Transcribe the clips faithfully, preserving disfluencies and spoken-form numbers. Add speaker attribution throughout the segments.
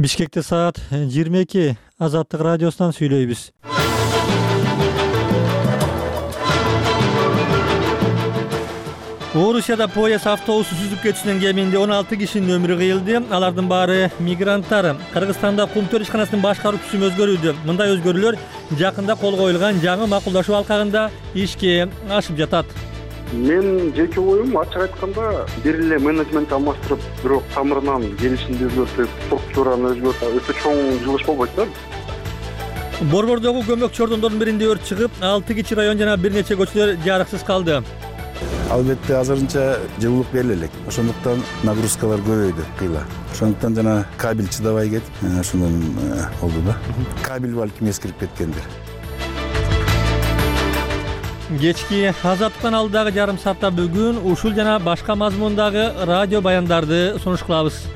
Speaker 1: Бишкекте саат жыйырма эки. Азаттык радиосунан сүйлөйбүз. Орусияда поезд автобусу сүзүп кетишинен кеминде он алты кишинин өмүрү кыйылды. Алардын баары мигранттар. Кыргызстанда Кумтөр ишканасынын башкаруу түзүмү өзгөрүүдө. Мындай өзгөрүүлөр жакында кол коюлган жаңы макулдашуу алкагында ишке ашып жатат.
Speaker 2: Мен жеке оюм ачык айтканда бир эле менеджмент алмаштырып, бирок тамырынан келишимди өзгөртүп, структураны өзгөртүп, өтө чоң жылыш болбойт да.
Speaker 1: Борбордогу көмөк чордондордун биринде өрт чыгып, алты кичи район жана бир нече көчөлөр жарыксыз калды.
Speaker 3: Албетте азырынча жылуулук бериле элек. Ошондуктан нагрузкалар көбөйдү кыйла. Ошондуктан жана кабель чыдабай кетип, ошондон болду да. Кабель балким эскирип кеткендир.
Speaker 1: Кечки азаттыктан алдыдагы жарым саатта бүгүн ушул жана башка мазмундагы радио баяндарды сунуш кылабыз.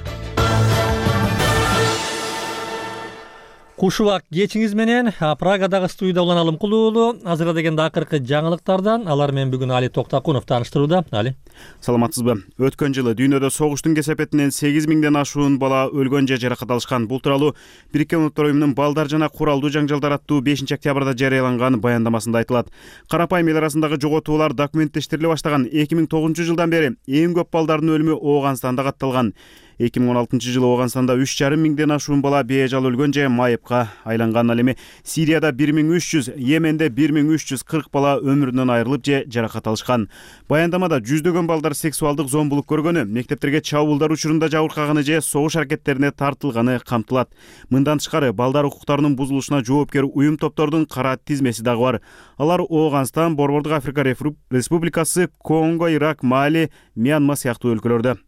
Speaker 1: Кушубак кечиңиз менен Прагадагы студияда улан Алымкул уулу азырга дегенде акыркы жаңылыктардан алар менен бүгүн Али Токтакунов тааныштырууда. Али.
Speaker 4: Саламатсызбы? Өткөн жылы дүйнөдө согуштун кесепетинен сегиз миңден ашуун бала өлгөн же жаракат алышкан. Бул тууралуу Бириккен Улуттар уюмунун балдар жана куралдуу жаңжалдар аттуу бешинчи октябрда жарыяланган баяндамасында айтылат. Карапайым эл арасындагы жоготуулар документтештириле баштаган эки миң тогузунчу жылдан бери эң көп балдардын өлүмү Ооганстанда катталган. эки миң он алтынчы жылы Ооганстанда үч жарым миңден ашуун бала бежал өлгөн же майыпка айланган. Ал эми Сирияда бир миң үч жүз, Йеменде бир миң үч жүз кырк бала өмүрүнөн айрылып же жаракат алышкан. Баяндамада жүздөгөн балдар сексуалдык зомбулук көргөнү, мектептерге чабуулдар учурунда жабыркаганы же согуш аракеттерине тартылганы камтылат. Мындан тышкары балдар укуктарынын бузулушуна жоопкер уюм топтордун кара тизмеси дагы бар. Алар Ооганстан, Борбордук Африка Республикасы, Конго, Ирак, Мали, Мьянма сыяктуу өлкөлөрдө.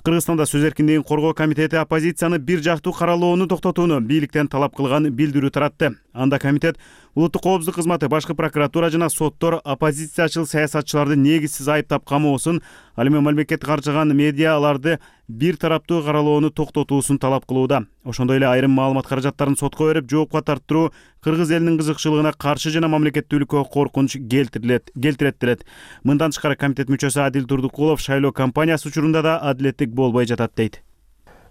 Speaker 4: Кыргызстанда сөз эркиндигин коргоо комитети оппозицияны бир жактуу каралоону токтотууну бийликтен талап кылган билдирүү таратты. Анда комитет улуттук коопсуздук кызматы, башкы прокуратура жана соттор оппозициячыл саясатчыларды негизсиз айыптап камоосун, ал эми мамлекет каржыган медиа аларды бир тараптуу каралоону токтотуусун талап кылууда. Ошондой эле айрым маалымат каражаттарын сотко берип, жоопко тарттыруу кыргыз элинин кызыкчылыгына каршы жана мамлекеттүүлүккө коркунуч келтирилет, келтирет делет. Мындан тышкары комитет мүчөсү Адил Турдукулов шайлоо кампаниясы учурунда да адилеттик болбой жатат дейт.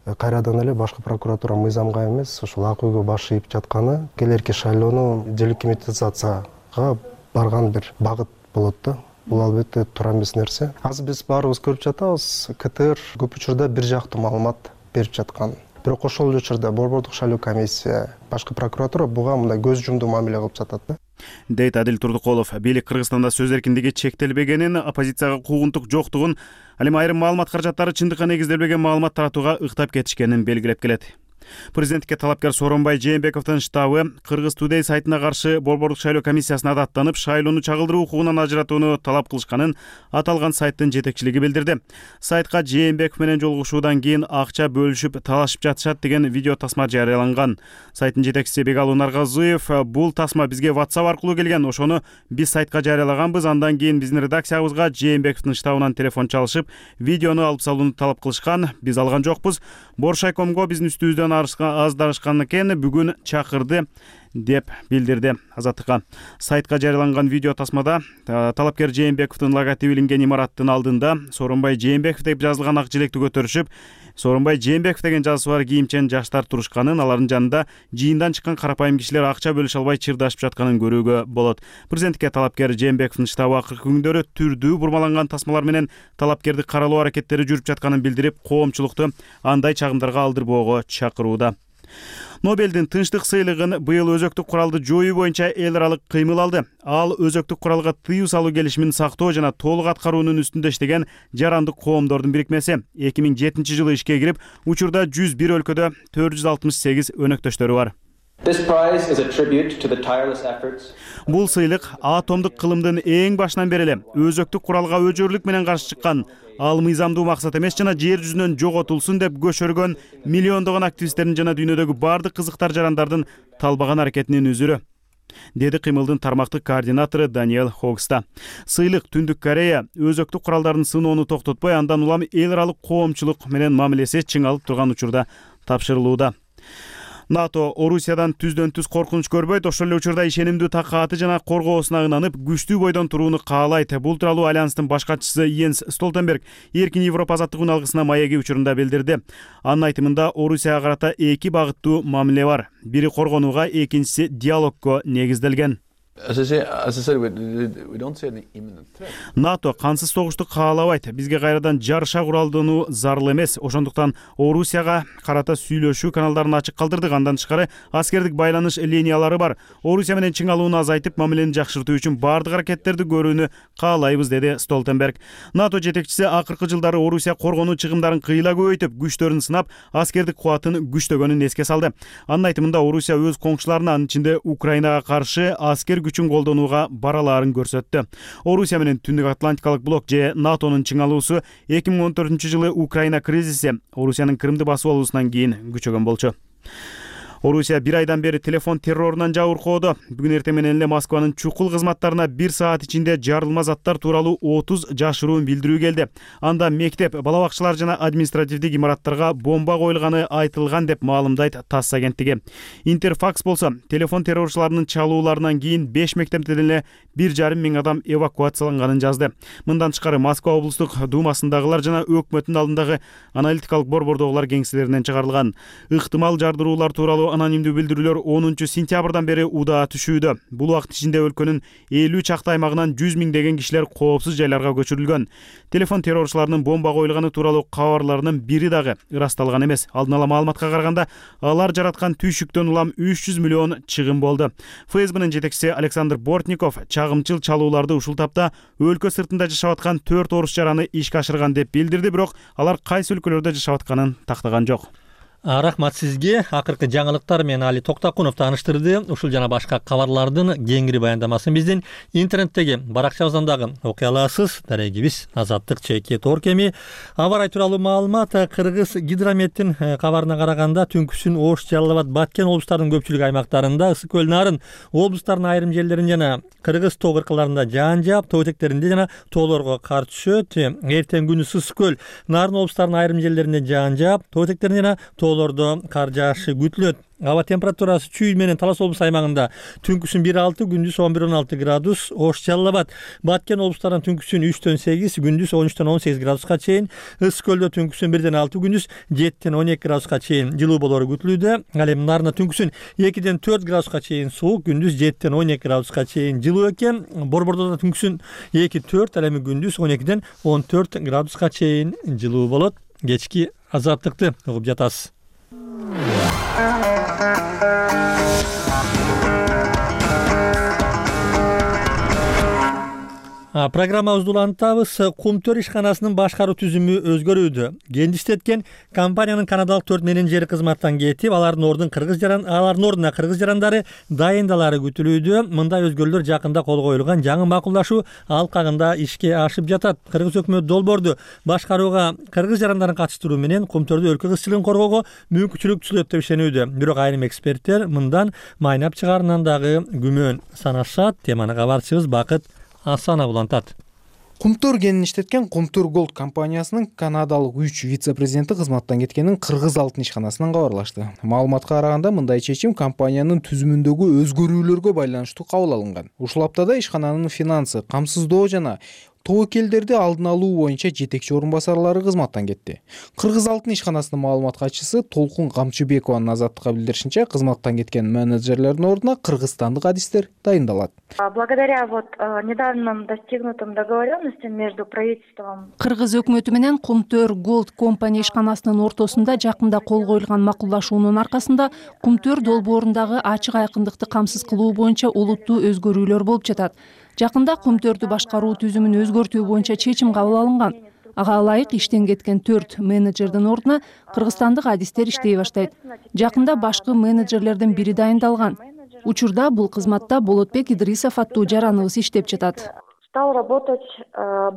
Speaker 5: Кайрадан эле башкы прокуратура мыйзамга эмес, ушул ак үйгө баш ийип жатканы келерки шайлоону делегитимизацияга барган бир багыт болот да. Бул албетте туура эмес нерсе. Азыр биз баарыбыз көрүп жатабыз, КТР көп учурда бир жактуу маалымат берип жаткан. Бирок ошол учурда борбордук шайлоо комиссия, башкы прокуратура буга мындай көз жумдуу мамиле кылып жатат да.
Speaker 4: Дейт Адил Турдукулов. Бийлик Кыргызстанда сөз эркиндиги чектелбегенин, оппозицияга куугунтук жоктугун, ал эми айрым маалымат каражаттары чындыкка негизделбеген маалымат таратууга ыктап кетишкенин белгилеп келет. Президенттикке талапкер Сооронбай Жээнбековдун штабы Кыргыз Today сайтына каршы борбордук шайлоо комиссиясына даттанып, шайлоону чагылдыруу укугунан ажыратууну талап кылышканын аталган сайттын жетекчилиги билдирди. Сайтка Жээнбеков менен жолугушуудан кийин акча бөлүшүп, талашып жатышат деген видео тасма жарыяланган. Сайттын жетекчиси Бегалуу Наргазыев: "Бул тасма бизге WhatsApp аркылуу келген. Ошону биз сайтка жарыялаганбыз. Андан кийин биздин редакциябызга Жээнбековдун штабынан телефон чалышып, видеону алып салууну талап кылышкан. Биз алган жокпуз. Боршайкомго биздин үстүбүздөн аздарышкан экен, бүгүн чакырды", деп билдирди Азаттыкка. Сайтка жарыяланган видео тасмада талапкер Жээнбековдун логотиби илинген имараттын алдында Сооронбай Жээнбеков деп жазылган ак желекти көтөрүшүп, Сооронбай Жээнбеков деген жазуусу бар кийимчен жаштар турушканын, алардын жанында жыйындан чыккан карапайым кишилер акча бөлүшө албай чырдашып жатканын көрүүгө болот. Президенттикке талапкер Жээнбековдун штабы акыркы күндөрү түрдүү бурмаланган тасмалар менен талапкерди каралоо аракеттери жүрүп жатканын билдирип, коомчулукту андай чагымдарга алдырбоого чакырууда. Нобелдин тынчтык сыйлыгын быйыл өзөктүк куралды жоюу боюнча эл аралык кыймыл алды. Ал өзөктүк куралга тыюу салуу келишимин сактоо жана толук аткаруунун үстүндө иштеген жарандык коомдордун бирикмеси. эки миң жетинчи жылы ишке кирип, учурда жүз бир өлкөдө төрт жүз алтымыш сегиз өнөктөштөрү бар. Бул сыйлык атомдук кылымдын эң башынан бери эле өзөктүк куралга өжөрлүк менен каршы чыккан, ал мыйзамдуу максат эмес жана жер жүзүнөн жоготулсун деп көчөргөн миллиондогон активисттердин жана дүйнөдөгү бардык кызыктар жарандардын талбаган аракетинин үзүрү, деди кыймылдын тармактык координатору Даниэл Хогста. Сыйлык Түндүк Корея өзөктүк куралдардын сыноону токтотпой, андан улам эл аралык коомчулук менен мамилеси чыңалып турган учурда тапшырылууда. НАТО Орусиядан түздөн түз коркунуч көрбөйт, ошол эле учурда ишенимдүү такааты жана коргоосуна ынанып күчтүү бойдон турууну каалайт. Бул тууралуу Альянстын баш катчысы Йенс Столтенберг Эркин Европа азаттык үналгысына маеги учурунда билдирди. Анын айтымында Орусияга карата эки багыттуу мамиле бар. Бири коргонууга, экинчиси диалогго негизделген. НАТО кансыз согушту каалабайт. Бизге кайрадан жарыша куралдануу зарыл эмес. Ошондуктан Орусияга карата сүйлөшүү каналдарын ачык калтырдык. Андан тышкары аскердик байланыш линиялары бар. Орусия менен чыңалууну азайтып, мамилени жакшыртуу үчүн бардык аракеттерди көрүүнү каалайбыз, деди Столтенберг. НАТО жетекчиси акыркы жылдары Орусия коргонуу чыгымдарын кыйла көбөйтүп, күчтөрүн сынап, аскердик кубатын күчтөгөнүн эске салды. Анын айтымында Орусия өз коңшуларына, анын ичинде Украинага каршы аскер күчүн колдонууга баралаарын көрсөттү. Орусия менен Түндүк Атлантикалык блок же НАТОнун чыңалуусу эки миң он төртүнчү жылы Украина кризиси Орусиянын Крымды басып алуусунан кийин күчөгөн болчу. Орусия бир айдан бери телефон террорунан жабыркоодо. Бүгүн эртең менен эле Москванын чукул кызматтарына бир саат ичинде жарылма заттар тууралуу отуз жашыруун билдирүү келди. Анда мектеп, бала бакчалар жана административдик имараттарга бомба коюлганы айтылган деп маалымдайт ТАСС агенттиги. Интерфакс болсо, телефон террорчуларынын чалууларынан кийин беш мектептен эле бир жарым миң адам эвакуацияланганын жазды. Мындан тышкары Москва облустук думасындагылар жана өкмөттүн алдындагы аналитикалык борбордогулар кеңселеринен чыгарылган. Ыктымал жардыруулар тууралуу анонимдүү билдирүүлөр онунчу сентябрдан бери удаа түшүүдө. Бул убакыт ичинде өлкөнүн элүү чакты аймагынан жүз миңдеген кишилер коопсуз жайларга көчүрүлгөн. Телефон террорчуларынын бомба коюлганы тууралуу кабарларынын бири дагы ырасталган эмес. Алдын ала маалыматка караганда, алар жараткан түйшүктөн улам үч жүз миллион чыгым болду. ФСБнын жетекчиси Александр Бортников чагымчыл чалууларды ушул тапта өлкө сыртында жашап аткан төрт орус жараны ишке ашырган деп билдирди, бирок алар кайсы өлкөлөрдө жашап атканын тактаган жок.
Speaker 1: Рахмат сизге. Акыркы жаңылыктар менен Али Токтакунов тааныштырды. Ушул жана башка кабарлардын кеңири баяндамасын биздин интернеттеги баракчабыздан дагы окуй аласыз. Дарегибиз азаттык чекит орг эми. Аба ырайы тууралуу маалымат Кыргыз гидрометтин кабарына караганда түнкүсүн Ош, Жалал Абад, Баткен облустарынын көпчүлүк аймактарында, Ысык көл, Нарын облустарынын айрым жерлеринде жана Кыргыз тоо кыркаларында жаан жаап, тоо этектеринде жана тоолорго кар түшөт. Эртең күнү Ысык көл, Нарын облустарынын айрым жерлеринде жаан жаап, тоо этектеринде жана тоолордо кар жаашы күтүлөт. Аба температурасы Чүй менен Талас облусу аймагында түнкүсүн бир алты, күндүз он бир он алты градус. Ош, Жалал Абад, Баткен облустарынан түнкүсүн үчтөн сегиз, күндүз он үчтөн он сегиз градуска чейин. Ысык көлдө түнкүсүн бирден алты, күндүз жеттен он эки градуска чейин жылуу болору күтүлүүдө. Ал эми Нарында түнкүсүн экиден төрт градуска чейин суук, күндүз жеттен он эки градуска чейин жылуу экен. Борбордо түнкүсүн эки төрт, ал эми күндүз он экиден он төрт градуска чейин жылуу болот. Кечки азаттыкты угуп жатасыз. Программабызды улантабыз. Кумтөр ишканасынын башкаруу түзүмү өзгөрүүдө. Кендиштеткен компаниянын канадалык төрт менеджери кызматтан кетип, алардын ордун кыргыз жаран, алардын ордуна кыргыз жарандары дайындалары күтүлүүдө. Мындай өзгөрүүлөр жакында кол коюлган жаңы макулдашуу алкагында ишке ашып жатат. Кыргыз өкмөтү долбоорду башкарууга кыргыз жарандарын катыштыруу менен Кумтөрдө өлкө кызчылыгын коргоого мүмкүнчүлүк түзүлөт деп ишенүүдө. Бирок айрым эксперттер мындан майнап чыгарынан дагы күмөн санашат. Теманы кабарчыбыз Бакыт Асанов улантат.
Speaker 6: Кумтөр кенин иштеткен Кумтөр Голд компаниясынын канадалык үч вице-президенти кызматтан кеткенин Кыргыз алтын ишканасынан кабарлашты. Маалыматка караганда, мындай чечим компаниянын түзүмүндөгү өзгөрүүлөргө байланыштуу кабыл алынган. Ушул аптада ишкананын финансы, камсыздоо жана тобокелдерди алдын алуу боюнча жетекчи орун басарлары кызматтан кетти. Кыргыз алтын ишканасынын маалымат катчысы Толкун Камчыбекованын азаттыкка билдиришинче, кызматтан кеткен менеджерлердин ордуна кыргызстандык адистер дайындалат.
Speaker 7: Благодаря вот недавним достигнутым договоренностям между правительством.
Speaker 8: Кыргыз өкмөтү менен Кумтөр Голд компания ишканасынын ортосунда жакында кол коюлган макулдашуунун аркасында Кумтөр долбоорундагы ачык айкындыкты камсыз кылуу боюнча олуттуу өзгөрүүлөр болуп жатат. Жакында Кумтөрдү башкаруу түзүмүн өзгөртүү боюнча чечим кабыл алынган. Ага ылайык иштен кеткен төрт менеджердин ордуна кыргызстандык адистер иштей баштайт. Жакында башкы менеджерлердин бири дайындалган. Учурда бул кызматта Болотбек Идрисов аттуу жараныбыз иштеп жатат.
Speaker 7: Стал работать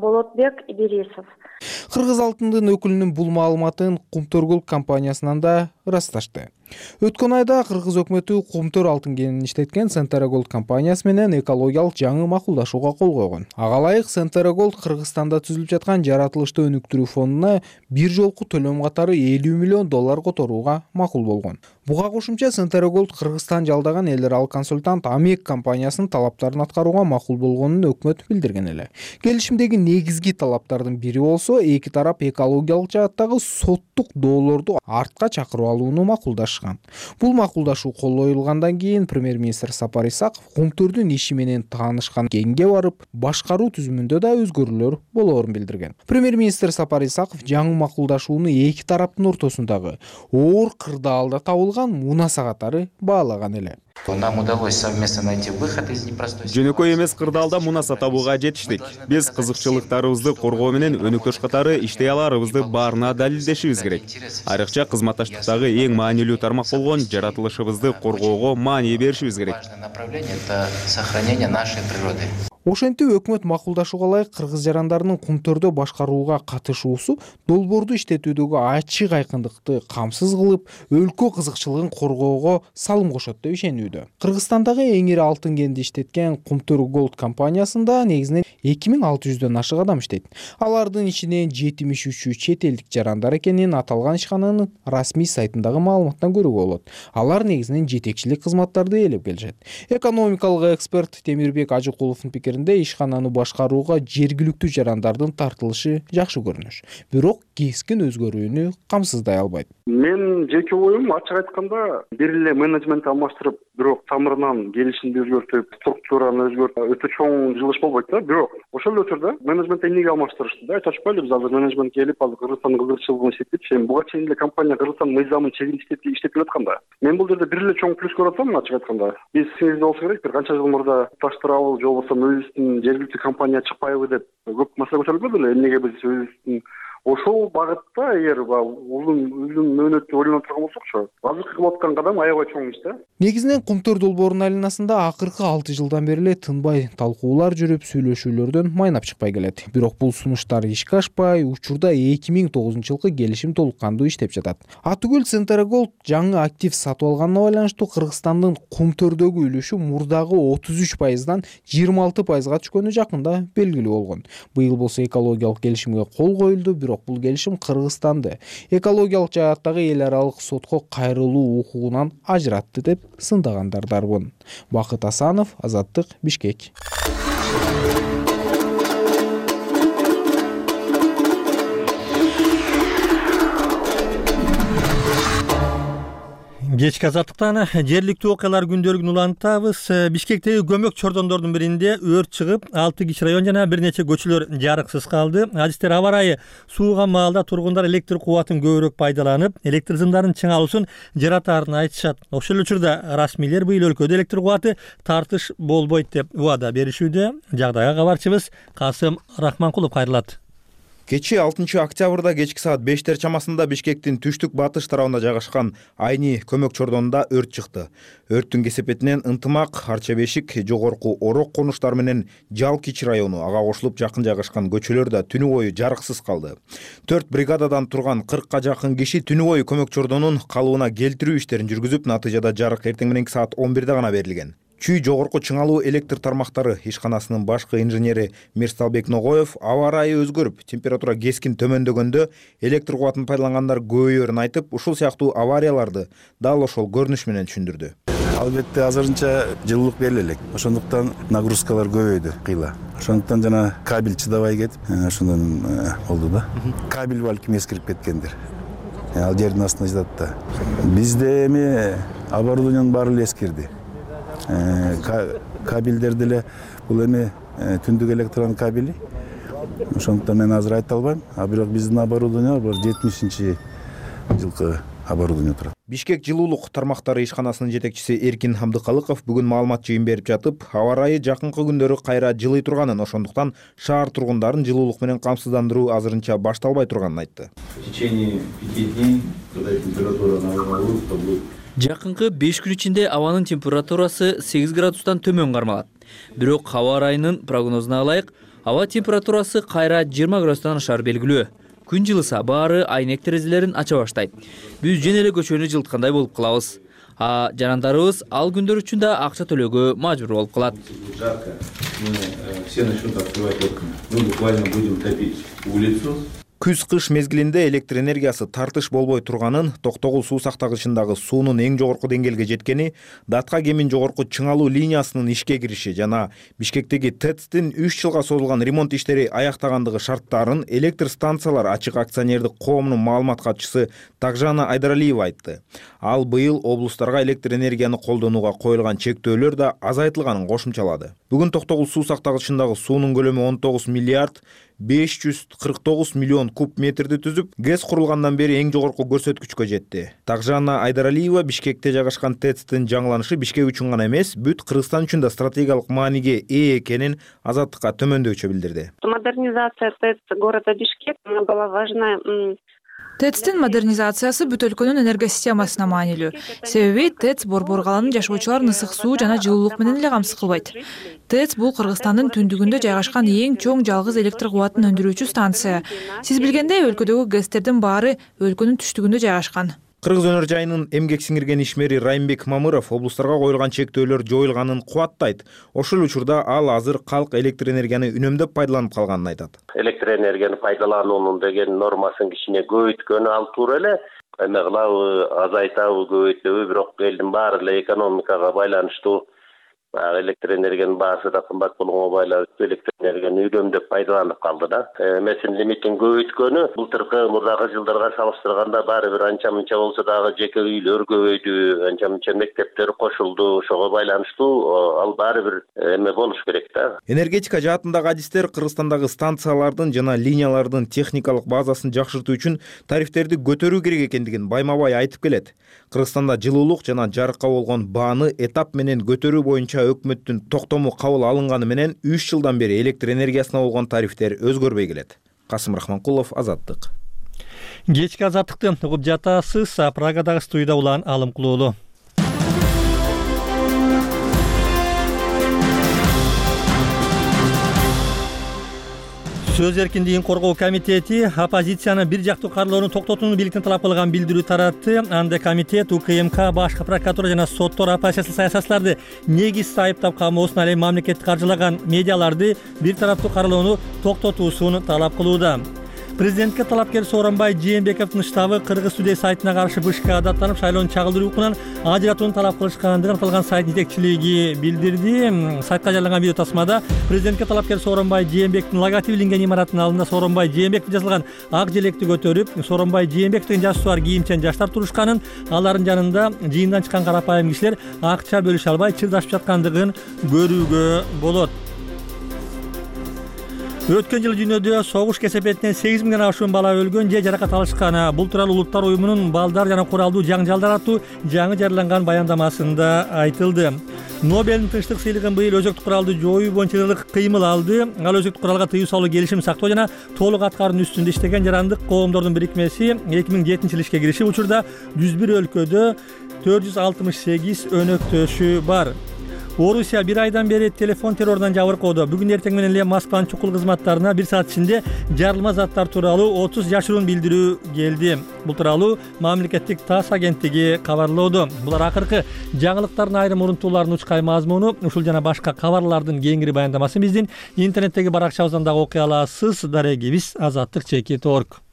Speaker 7: Болотбек Идрисов.
Speaker 6: Кыргыз алтындын өкүлүнүн бул маалыматын Кумтөр Голд компаниясынан да ырасташты. Өткөн айда кыргыз өкмөтү кумтөр алтын кенин иштеткен Centerra Gold компаниясы менен экологиялык жаңы макулдашууга кол койгон. Ага ылайык Centerra Gold Кыргызстанда түзүлүп жаткан жаратылышты өнүктүрүү фондуна бир жолку төлөм катары элүү миллион доллар которууга макул болгон. Буга кошумча Centerra Gold Кыргызстан жалдаган эл аралык консультант Амек компаниясынын талаптарын аткарууга макул болгонун өкмөт билдирген эле. Келишимдеги негизги талаптардын бири болсо, эки тарап экологиялык жааттагы соттук доолорду артка чакырып алууну макулдашкан. Бул макулдашуу кол коюлгандан кийин премьер-министр Сапар Исаков кумтөрдүн иши менен таанышкан кенге барып, башкаруу түзүмүндө да өзгөрүүлөр болоорун билдирген. Премьер-министр Сапар Исаков жаңы макулдашууну эки тараптын ортосундагы оор кырдаалда табылган мунаса катары баалаган эле.
Speaker 9: Нам удалось совместно найти выход из непростой ситуации.
Speaker 10: Жөнөкөй эмес кырдаалда мунаса табууга жетиштик. Биз кызыкчылыктарыбызды коргоо менен өнөктөш катары иштей аларыбызды баарына далилдешибиз керек. Айрыкча кызматташтыктагы эң маанилүү тармак болгон жаратылышыбызды коргоого маанилүү беришибиз керек.
Speaker 9: Важное направление — это сохранение нашей природы.
Speaker 6: Ошентип өкмөт макулдашууга ылайык кыргыз жарандарынын кумтөрдө башкарууга катышуусу долбоорду иштетүүдөгү ачык айкындыкты камсыз кылып, өлкө кызыкчылыгын коргоого салым кошот деп ишенүүдө. Кыргызстандагы эң ири алтын кенди иштеткен Кумтөр Gold компаниясында негизинен эки миң алты жүздөн ашык адам иштейт. Алардын ичинен жетимиш үчү чет элдик жарандар экенин аталган ишкананын расмий сайтындагы маалыматтан көрүүгө болот. Алар негизинен жетекчилик кызматтарды ээлеп келишет. Экономикалык эксперт Темирбек Ажыкуловдун пикиринде ишкананы башкарууга жергиликтүү жарандардын тартылышы жакшы көрүнүш. Бирок кескин өзгөрүүнү камсыздай албайт.
Speaker 2: Мен жеке оюм ачык айтканда бир эле менеджмент алмаштырып, бирок тамырынан келишимди өзгөртүп, структураны өзгөртүп, өтө чоң жылыш болбойт да. Бирок ошол эле учурда менеджментти эмнеге алмаштырышты да? Айтып атпайлы, биз азыр менеджмент келип, азыр Кыргызстандын кызыкчылыгын иштетип, сен буга чейин эле компания Кыргызстан мыйзамын чегин иштетип иштеп келатканда. Мен бул жерде бир эле чоң плюс көрүп атам, ачык айтканда. Биз сиңизде болсо керек, бир канча жыл мурда таштырабыл, же болбосо өзүбүздүн жергиликтүү компания чыкпайбы деп көп маселе көтөрүлгөн эле. Эмнеге биз өзүбүздүн ошол багытта эгер узун uzun мөөнөттү ойлонуп турган болсокчу, азыркы кылып аткан кадам аябай чоң иш да.
Speaker 6: Негизинен Кумтөр долбоорунун айланасында акыркы алты жылдан бери эле тынбай талкуулар жүрүп, сүйлөшүүлөрдөн майнап чыкпай келет. Бирок бул сунуштар ишке ашпай, учурда эки миң тогузунчу жылкы келишим толук кандуу иштеп жатат. Атүгүл Centerra Gold жаңы актив сатып алганына байланыштуу Кыргызстандын кумтөрдөгү үлүшү мурдагы отуз үч пайыздан жыйырма алты пайызга түшкөнү жакында белгилүү болгон. Быйыл болсо экологиялык келишимге кол коюлду, бирок бул келишим Кыргызстанды экологиялык жааттагы эл аралык сотко кайрылуу укугунан ажыратты деп сындагандар дарбын. Бакыт Асанов, Азаттык, Бишкек.
Speaker 1: Кечки азаттыктан жергиликтүү окуялар күндөлүгүн улантабыз. Бишкектеги көмөк чордондордун биринде өрт чыгып, алты кичи район жана бир нече көчөлөр жарыксыз калды. Адистер аба ырайы сууган маалда тургундар электр кубатын көбүрөөк пайдаланып, электр сымдарын чыңалуусун жаратаарын айтышат. Ошол эле учурда расмийлер быйыл өлкөдө электр кубаты тартыш болбойт деп убада беришүүдө. Жагдайга кабарчыбыз Касым Рахманкулов кайрылат.
Speaker 11: Кечи алтынчы октябрда кечки саат бештер чамасында Бишкектин түштүк батыш тарабында жайгашкан Айни көмөк чордонунда өрт чыкты. Өрттүн кесепетинен Ынтымак, Арча бешик, Жогорку Орок конуштары менен Жал кичи району, ага кошулуп жакын жайгашкан көчөлөр да түнү бою жарыксыз калды. төрт бригададан турган кыркка жакын киши түнү бою көмөк чордонун калыбына келтирүү иштерин жүргүзүп, натыйжада жарык эртең мененки саат он бирде гана берилген. Чүй жогорку чыңалуу электр тармактары ишканасынын башкы инженери Мирсалбек Ногоев аба ырайы өзгөрүп, температура кескин төмөндөгөндө электр кубатын пайдалангандар көбөйөөрүн айтып, ушул сыяктуу аварияларды дал ошол көрүнүш менен түшүндүрдү.
Speaker 3: Албетте азырынча жылуулук бериле элек. Ошондуктан нагрузкалар көбөйдү кыйла. Ошондуктан жана кабель чыдабай кетип, ошондон болду да. Кабель балким эскирип кеткендир. Ал жердин астына жатат да. Бизде эми оборудованиянын баары эле эскирди. Кабелдер деле бул эми түндүк электрон кабели. Ошондуктан мен азыр айта албайм, а бирок биздин оборудование бар жетимишинчи жылкы оборудование турат.
Speaker 11: Бишкек жылуулук тармактары ишканасынын жетекчиси Эркин Хамдыкалыков бүгүн маалымат жыйын берип жатып, аба ырайы жакынкы күндөрү кайра жылый турганын, ошондуктан шаар тургундарын жылуулук менен камсыздандыруу азырынча башталбай турганын айтты.
Speaker 12: В течение пяти дней, когда температура нормализуется, то будет
Speaker 13: Жакынкы беш күн ичинде абанын температурасы сегиз градустан төмөн кармалат. Бирок аба ырайынын прогнозуна ылайык, аба температурасы кайра жыйырма градустан ашар белгилүү. күн жылыса баары айнек терезелерин ача баштайт. Биз жөн эле көчөнү жылыткандай болуп калабыз. А жарандарыбыз ал күндөр үчүн да акча төлөөгө мажбур болуп калат.
Speaker 12: Жарко. Мы все начнут открывать окна. Мы буквально будем топить улицу.
Speaker 11: Күз-кыш мезгилинде электр энергиясы тартыш болбой турганын, Токтогул суу сактагычындагы суунун эң жогорку деңгээлге жеткени, Датка кемин жогорку чыңалуу линиясынын ишке кириши жана Бишкектеги ТЭЦтин үч жылга созулган ремонт иштери аяктагандыгы шарттарын Электр станциялар ачык акционердик коомунун маалымат катчысы Такжана Айдаралиева айтты. Ал быйыл облустарга электр энергияны колдонууга коюлган чектөөлөр да азайтылганын кошумчалады. Бүгүн Токтогул суу сактагычындагы суунун көлөмү он тогуз миллиард беш жүз кырк тогуз миллион куб метрди түзүп, ГЭС курулгандан бери эң жогорку көрсөткүчкө жетти. Такжана Айдаралиева Бишкекте жайгашкан ТЭЦтин жаңыланышы Бишкек үчүн гана эмес, бүт Кыргызстан үчүн да стратегиялык мааниге ээ экенин Азаттыкка төмөндөчө билдирди.
Speaker 14: Модернизация ТЭЦ города Бишкек была важна.
Speaker 15: ТЭЦтин модернизациясы бүт өлкөнүн энергосистемасына маанилүү. Себеби ТЭЦ борбор каланын жашоочуларын ысык суу жана жылуулук менен эле камсыз кылбайт. ТЭЦ бул Кыргызстандын түндүгүндө жайгашкан эң чоң жалгыз электр кубатын өндүрүүчү станция. Сиз билгендей, өлкөдөгү ГЭСтердин баары өлкөнүн түштүгүндө жайгашкан.
Speaker 11: Кыргыз өнөр жайынын эмгек сиңирген ишмери Райымбек Мамыров облустарга коюлган чектөөлөр жоюлганын кубаттайт. Ошол учурда ал азыр калк электр энергияны үнөмдөп пайдаланып калганын айтат.
Speaker 16: Электр энергияны пайдалануунун деген нормасын кичине көбөйткөнү ал туура эле. Эме кылабы, азайтабы, көбөйтөбү, бирок элдин баары эле экономикага байланыштуу. Электр энергиянын баасы да кымбат болгонго байланыштуу электр энергияны үнөмдөп пайдаланып калды да. Эмесин лимитин көбөйткөнү былтыркы мурдагы жылдарга салыштырганда баары бир анча мынча болсо дагы жеке үйлөр көбөйдү, анча мынча мектептер кошулду, ошого байланыштуу ал баары бир эме болуш керек да.
Speaker 11: Энергетика жаатындагы адистер Кыргызстандагы станциялардын жана линиялардын техникалык базасын жакшыртуу үчүн тарифтерди көтөрүү керек экендигин байма-бай айтып келет. Кыргызстанда жылуулук жана жарыкка болгон бааны этап менен көтөрүү боюнча өкмөттүн токтому кабыл алынганы менен үч жылдан бери электр энергиясына болгон тарифтер өзгөрбөй келет. Касым Рахманкулов, Азаттык.
Speaker 1: Кечки Азаттыкты угуп жатасыз. Прагадагы студияда Улан Алымкулуулу. Сөз эркиндигин коргоо комитети оппозициянын бир жактуу каралоону токтотууну бийликтен талап кылган билдирүү таратты. Анда комитет УКМК, башкы прокуратура жана соттор оппозициялык саясатчыларды негизсиз айыптап камоосуна, ал эми мамлекетти каржылаган медиаларды бир тараптуу каралоону токтотуусун талап кылууда. Президентке талапкер Сооронбай Жээнбековдун штабы Кыргыз Today сайтына каршы БШК даттанып, шайлоону чагылдыруу укугунан ажыратууну талап кылышкандыгын аталган сайт жетекчилиги билдирди. Сайтка жарыяланган видео тасмада президентке талапкер Сооронбай Жээнбековдун логотиби иленген имараттын алдында Сооронбай Жээнбеков жазылган ак желекти көтөрүп, Сооронбай Жээнбеков деген жаш сууар кийимчен жаштар турушканын, алардын жанында жыйындан чыккан карапайым кишилер акча бөлүшө албай чырдашып жаткандыгын көрүүгө болот. Өткөн жылы дүйнөдө согуш кесепетинен сегиз миңден ашуун бала өлгөн же жаракат алышкан. Бул тууралуу Улуттар уюмунун балдар жана куралдуу жаңжалдар аттуу жаңы жарыяланган баяндамасында айтылды. Нобелдин тынчтык сыйлыгын быйыл өзөктүк куралды жоюу боюнча жылдык кыймыл алды. Ал өзөктүк куралга тыюу салуу, келишим сактоо жана толук аткаруунун үстүндө иштеген жарандык коомдордун бирикмеси эки миң жетинчи жылы ишке киришип, учурда жүз бир өлкөдө төрт жүз алтымыш сегиз өнөктөшү бар. Орусия бир айдан бери телефон террорунан жабыркоодо. Бүгүн эртең менен эле Москванын чукул кызматтарына бир саат ичинде жарылма заттар тууралуу отуз жашыруун билдирүү келди. Бул тууралуу мамлекеттик ТАСС агенттиги кабарлоодо. Булар акыркы жаңылыктардын айрым урунтууларынын учкай мазмуну. Ушул жана башка кабарлардын кеңири баяндамасын биздин интернеттеги баракчабыздан дагы окуй аласыз. Дарегибиз азаттык чекит точка орг.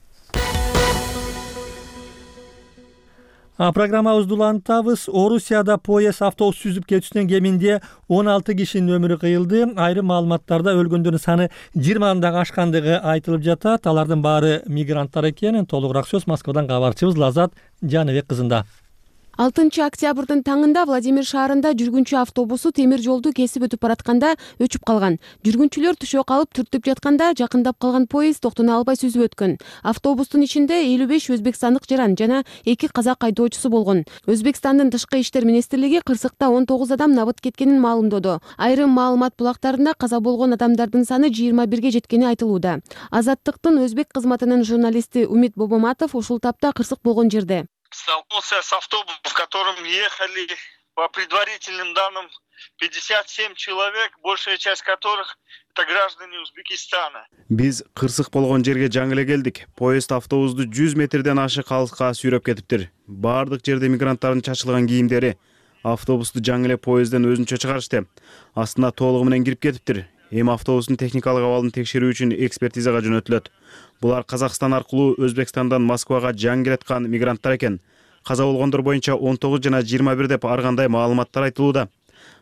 Speaker 1: Программабызды улантабыз. Орусияда поезд автобус сүзүп кетүүсүнөн кеминде он алты кишинин өмүрү кыйылды. Айрым маалыматтарда өлгөндөрдүн саны жыйырмадан дагы ашкандыгы айтылып жатат. Алардын баары мигранттар экенин толугураак сөз Москвадан кабарчыбыз Лазат Жаныбек кызында.
Speaker 17: алтынчы октябрдын таңында Владимир шаарында жүргүнчү автобусу темир жолду кесип өтүп баратканда өчүп калган. Жүргүнчүлөр түшө калып түртүп жатканда жакындап калган поезд токтоно албай сүзүп өткөн. Автобустун ичинде элүү беш өзбекстандык жаран жана эки казак айдоочусу болгон. Өзбекстандын тышкы иштер министрлиги кырсыкта он тогуз адам набыт кеткенин маалымдоду. Айрым маалымат булактарында каза болгон адамдардын саны жыйырма бирге жеткени айтылууда. Азаттыктын өзбек кызматынын журналисти Умит Бобоматов ушул тапта кырсык болгон жерде.
Speaker 18: Столкнулся с автобусом, в котором ехали по предварительным данным, пятьдесят семь человек, большая часть которых это граждане Узбекистана.
Speaker 4: Биз кырсык болгон жерге жаңы эле келдик. Поезд автобусту жүз метрден ашык алыска сүйрөп кетиптир. Бардык жерде мигранттардын чачылган кийимдери. Автобусту жаңы эле поездден өзүнчө чыгарышты. Астына толугу менен кирип кетиптир. Эми автобустун техникалык абалын текшерүү үчүн экспертизага жөнөтүлөт. Булар Казакстан аркылуу Өзбекстандан Москвага жаңы келаткан мигранттар экен. Каза болгондор боюнча он тогуз жана жыйырма бир деп ар кандай маалыматтар айтылууда.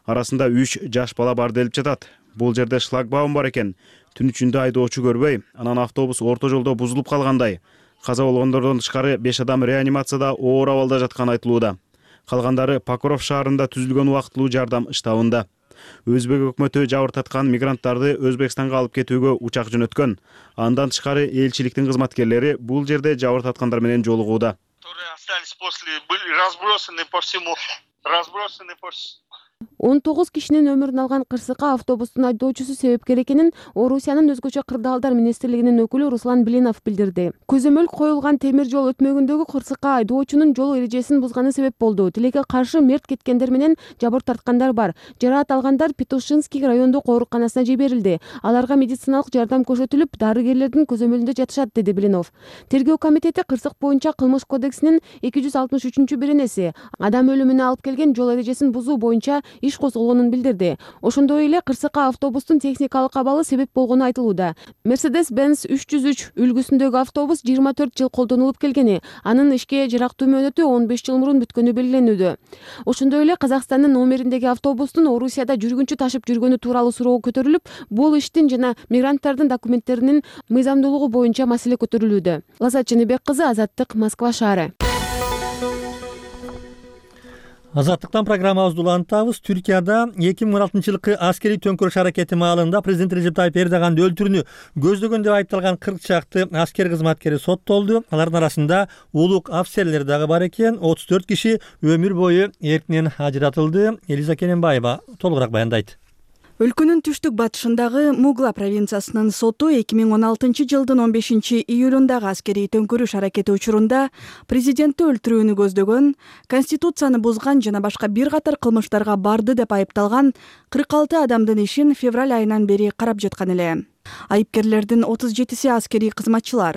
Speaker 4: Арасында үч жаш бала бар делип жатат. Бул жерде шлагбаум бар экен. Түн ичинде айдоочу көрбөй, анан автобус орто жолдо бузулуп калгандай. Каза болгондордон тышкары беш адам реанимацияда оор абалда жатканы айтылууда. Калгандары Покров шаарында түзүлгөн убактылуу жардам штабында. Өзбек өкмөтү жабыртаткан мигранттарды Өзбекстанга алып кетүүгө учак жөнөткөн. Андан тышкары элчиликтин кызматкерлери бул жерде жабыртаткандар менен жолугууда.
Speaker 18: Остались после, были разбросаны по всему, разбросаны по
Speaker 17: он тогуз кишинин өмүрүн алган кырсыкка автобустун айдоочусу себепкер экенин Орусиянын өзгөчө кырдаалдар министрлигинин өкүлү Руслан Блинов билдирди. Көзөмөл коюлган темир жол өтмөгүндөгү кырсыкка айдоочунун жол эрежесин бузганы себеп болду. Тилекке каршы мерт кеткендер менен жабыр тарткандар бар. Жараат алгандар Петушинский райондук ооруканасына жиберилди. Аларга медициналык жардам көрсөтүлүп, дарыгерлердин көзөмөлүндө жатышат, деди Блинов. Тергөө комитети кырсык боюнча кылмыш кодексинин эки жүз алтымыш үчүнчү беренеси адам өлүмүнө алып келген жол эрежесин бузуу боюнча иш козголгонун билдирди. Ошондой эле кырсыкка автобустун техникалык абалы себеп болгону айтылууда. Mercedes-Benz үч жүз үч үлгүсүндөгү автобус жыйырма төрт жыл колдонулуп келгени, анын ишке жарактуу мөөнөтү он беш жыл мурун бүткөнү белгиленүүдө. Ошондой эле Казакстандын номериндеги автобустун Орусияда жүргүнчү ташып жүргөнү тууралуу суроо көтөрүлүп, бул иштин жана мигранттардын документтеринин мыйзамдуулугу боюнча маселе көтөрүлүүдө. Лазат Чыныбек кызы, Азаттык, Москва шаары.
Speaker 1: Азаттыктан программабызды улантабыз. Түркияда эки миң он алтынчы жылкы аскерий төңкөрүш аракети маалында президент Режеп Тайып Эрдоганды өлтүрүүнү көздөгөн деп айыпталган кырк чакты аскер кызматкери соттолду. Алардын арасында улук офицерлер дагы бар экен. отуз төрт киши өмүр бою эркинен ажыратылды. Элиза Кененбаева толугураак баяндайт.
Speaker 19: Өлкөнүн түштүк батышындагы Мугла провинциясынын соту эки миң он алтынчы жылдын он бешинчи июлундагы аскерий төңкөрүш аракети учурунда президентти өлтүрүүнү көздөгөн, конституцияны бузган жана башка бир катар кылмыштарга барды деп айыпталган кырк алты адамдын ишин февраль айынан бери карап жаткан эле. Айыпкерлердин отуз жетиси аскерий кызматчылар.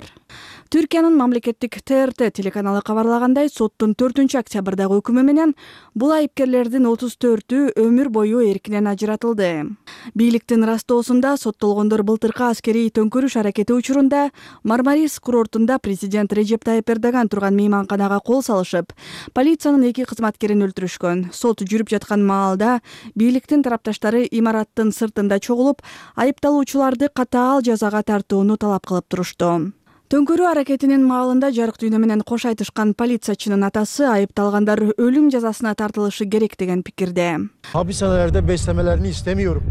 Speaker 19: Түркиянын мамлекеттик Т Р Т телеканалы кабарлагандай, соттун төртүнчү октябрдагы өкүмү менен бул айыпкерлердин отуз төртү өмүр бою эркинен ажыратылды. Бийликтин ырастоосунда соттолгондор былтыркы аскерий төңкөрүш аракети учурунда Мармарис курортунда президент Режеп Тайып Эрдоган турган мейманканага кол салышып, полициянын эки кызматкерин өлтүрүшкөн. Сот жүрүп жаткан маалда бийликтин тарапташтары имараттын сыртында чогулуп, айыпталуучуларды катаал жазага тартууну талап кылып турушту. Төңкөрүү аракетинин маалында жарык дүйнө менен кош айтышкан полициячынын атасы айыпталгандар өлүм жазасына тартылышы керек деген пикирде.
Speaker 20: Hapishanelerde beslemelerini istemiyorum.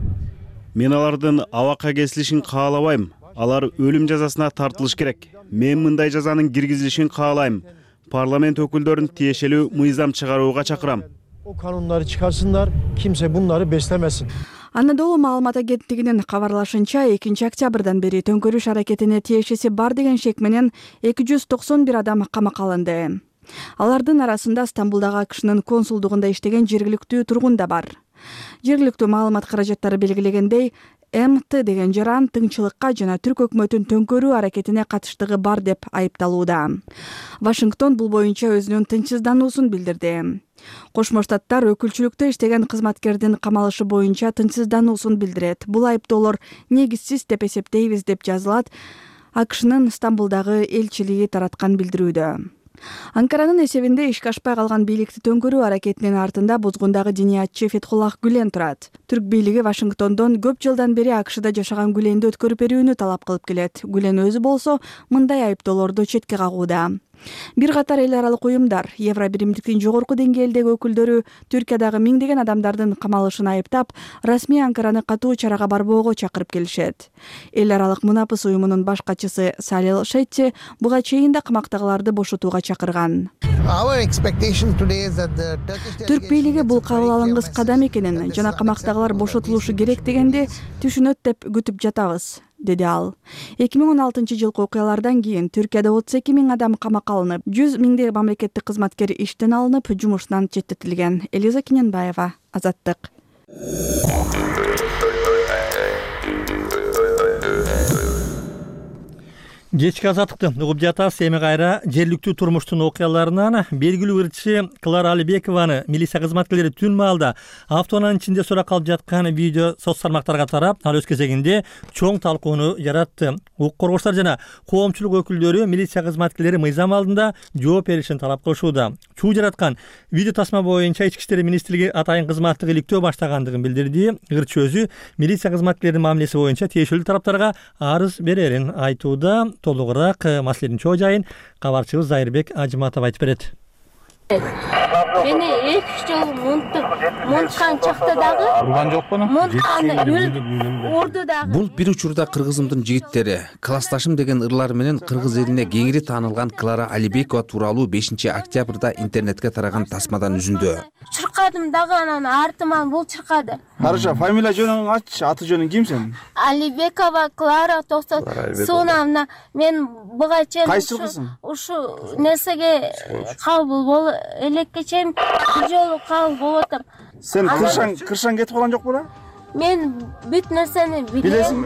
Speaker 4: Мен алардын абакка кесилишин каалабайм. Алар өлүм жазасына тартылыш керек. Мен мындай жазанын киргизилишин каалайм. Парламент өкүлдөрүн тиешелүү мыйзам чыгарууга чакырам.
Speaker 20: O kanunları çıkarsınlar, kimse bunları beslemesin.
Speaker 19: Анадолу маалымат агенттигинин кабарлашынча, экинчи октябрдан бери төңкөрүш аракетине тиешеси бар деген шек менен эки жүз токсон бир адам камакка алынды. Алардын арасында Стамбулдагы АКШнын консулдугунда иштеген жергиликтүү тургун да бар. Жергиликтүү маалымат каражаттары белгилегендей, М Т деген жаран тыңчылыкка жана түрк өкмөтүн төңкөрүү аракетине катыштыгы бар деп айыпталууда. Вашингтон бул боюнча өзүнүн тынчсыздануусун билдирди. Кошмо Штаттар өкүлчүлүктө иштеген кызматкердин камалышы боюнча тынчсыздануусун билдирет. Бул айыптоолор негизсиз деп эсептейбиз деп жазылат АКШнын Стамбулдагы элчилиги тараткан билдирүүдө. Анкаранын эсебинде ишке ашпай калган бийликти төңкөрүү аракетинин артында бузгундагы диниятчы Фетхуллах Гүлен турат. Түрк бийлиги Вашингтондон көп жылдан бери АКШда жашаган Гүленди өткөрүп берүүнү талап кылып келет. Гүлен өзү болсо мындай айыптоолорду четке кагууда. Бир катар эл аралык уюмдар, Евро биримдиктин жогорку деңгээлдеги өкүлдөрү Түркиядагы миңдеген адамдардын камалышын айыптап, расмий Анкараны катуу чарага барбоого чакырып келишет. Эл аралык мунапыс уюмунун баш катчысы Салил Шетти буга чейин да камактагыларды бошотууга чакырган. Түрк бийлиги бул кабыл алынгыс кадам экенин жана камактагылар бошотулушу керек дегенди түшүнөт деп күтүп жатабыз. деди ал. эки миң он алтынчы жылкы окуялардан кийин Түркияда отуз эки миң адам камакка алынып, жүз миңдей мамлекеттик кызматкер иштен алынып, жумушунан четтетилген. Элиза Кененбаева, Азаттык.
Speaker 1: Кечки азаттыкты угуп жатабыз. Эми кайра жергиликтүү турмуштун окуяларынан белгилүү ырчы Клара Алибекованы милиция кызматкерлери түн маалда автоунаанын ичинде суракка алып жаткан видео соц тармактарга тарап, ал өз кезегинде чоң талкууну жаратты. Укук коргоочулар жана коомчулук өкүлдөрү милиция кызматкерлери мыйзам алдында жооп беришин талап кылышууда. Чуу жараткан видео тасма боюнча Ички иштер министрлиги атайын кызматтык иликтөө баштагандыгын билдирди. Ырчы өзү милиция кызматкерлеринин мамилеси боюнча тиешелүү тараптарга арыз берерин айтууда. Толугураак маселенин чоо жайын кабарчыбыз Зайырбек Ажыматов айтып берет.
Speaker 21: Мени эки жыл мунткан чакта дагы
Speaker 22: урган жокпу?
Speaker 21: Мунтканы урду дагы.
Speaker 22: Бул бир учурда кыргызымдын жигиттери, классташым деген ырлар менен кыргыз элине кеңири таанылган Клара Алибекова тууралуу бешинчи октябрда интернетке тараган тасмадан үзүндү.
Speaker 21: Чыркадым дагы анан артыман бул чыркады.
Speaker 22: Карыша, фамилия жөнүң аччы, аты жөнүң ким сен?
Speaker 21: Алибекова Клара токсон. Сонамна мен буга чейин
Speaker 22: кайсы кызың?
Speaker 21: Ушу нерсеге кабыл бол элекке чейин бир жолу кабыл болуп атам.
Speaker 22: Сен кыршаң, кыршаң кетип калган жокпу да?
Speaker 21: Мен бүт нерсени билем.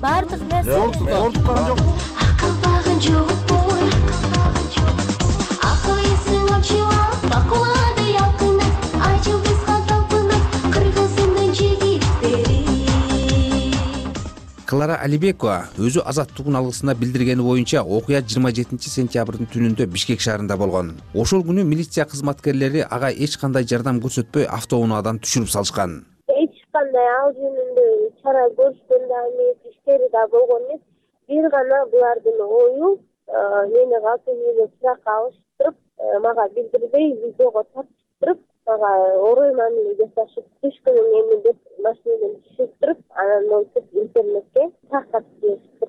Speaker 21: Бардык нерсе.
Speaker 22: Ортуп калган жокпу? Акылбагын жокпу. Акыл эсиң очуп, бакулады якында, ачыл кызга талпынып, кыргызымдын жигиттери. Клара Алибекова өзү Азаттыктын алгысына билдиргени боюнча окуя жыйырма жетинчи сентябрдын түнүндө Бишкек шаарында болгон. Ошол күнү милиция кызматкерлери ага эч кандай жардам көрсөтпөй автоунаадан түшүрүп салышкан.
Speaker 21: Эч кандай ал жөнүндө чара көрүшкөн да эмес, иштери да болгон эмес. Бир гана булардын ою мени калпы үйгө суракка алыштырып, мага билдирбей видеого тартыштырып, мага орой мамиле жасашып, түшкүнүң эми деп машинадан түшүрүп туруп, анан монтип интернетке таркатып жибериптир.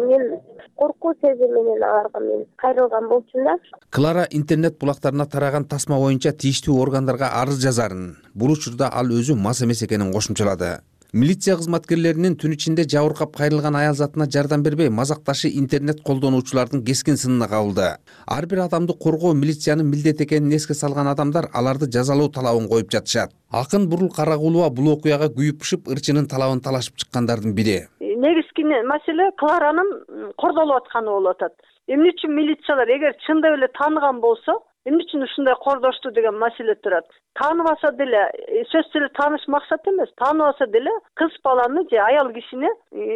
Speaker 21: Мен коркуу сезим менен аларга мен кайрылган болчумун да. Клара интернет булактарына тараган тасма боюнча тийиштүү органдарга арыз жазарын. Бул учурда ал өзү мас эмес экенин кошумчалады. Милиция кызматкерлеринин түн ичинде жабыркап кайрылган аял затына жардам бербей, мазакташы интернет колдонуучулардын кескин сынына кабылды. Ар бир адамды коргоо милициянын милдети экенин эске салган адамдар аларды жазалоо талабын коюп жатышат. Акын Бурул Карагулова бул окуяга күйүп пышып, ырчынын талабын талашып чыккандардын бири.
Speaker 23: Негизги маселе Кларанын кордолуп атканы болуп атат. Эмне үчүн милициялар эгер чындап эле тааныган болсо, эмне үчүн ушундай кордошту деген маселе турат. Тааныбаса деле, сөзсүз эле тааныш максат эмес. Тааныбаса деле кыз баланы же аял кишине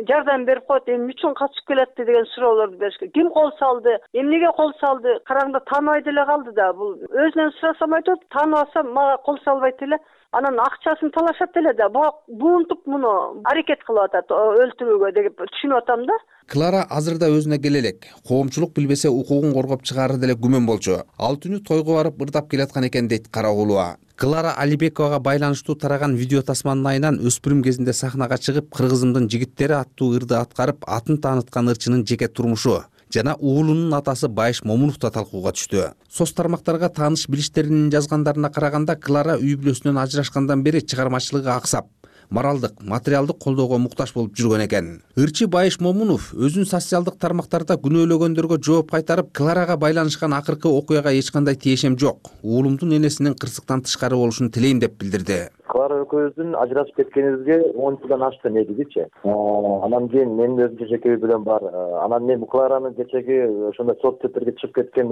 Speaker 23: жардам берип коет, эмне үчүн качып келатты деген суроолорду бериш керек. Ким кол салды, эмнеге кол салды, караңда тааныбай деле калды да. Бул өзүнөн сурасам айтат, тааныбаса мага кол салбайт эле. Анан акчасын талашат эле да. Буунтуп муну аракет кылып атат өлтүрүүгө деп түшүнүп атам да.
Speaker 22: Клара азырда өзүнө келе элек. Коомчулук билбесе укугун коргоп чыгары деле күмөн болчу. Ал түнү тойго барып ырдап келаткан экен дейт Карагулова. Клара Алибековага байланыштуу тараган видео тасманын айынан өспүрүм кезинде сахнага чыгып, кыргызымдын жигиттери аттуу ырды аткарып, атын тааныткан ырчынын жеке турмушу жана уулунун атасы Байыш Момунов да талкууга түштү. Соц тармактарга тааныш билиштеринин жазгандарына караганда, Клара үй бүлөсүнөн ажырашкандан бери чыгармачылыгы аксап, моралдык, материалдык колдоого муктаж болуп жүргөн экен. Ырчы Байыш Момунов өзүн социалдык тармактарда күнөөлөгөндөргө жооп кайтарып, Кларага байланышкан акыркы окуяга эч кандай тиешем жок, уулумдун энесинин кырсыктан тышкары болушун тилейм деп билдирди.
Speaker 24: Клара экөөбүздүн ажырашып кеткенибизге он жылдан ашты негизичи. Анан кийин менин өзүмчө жеке үй бүлөм бар. Анан мен Кларанын кечеги ошондой соц сеттерге чыгып кеткен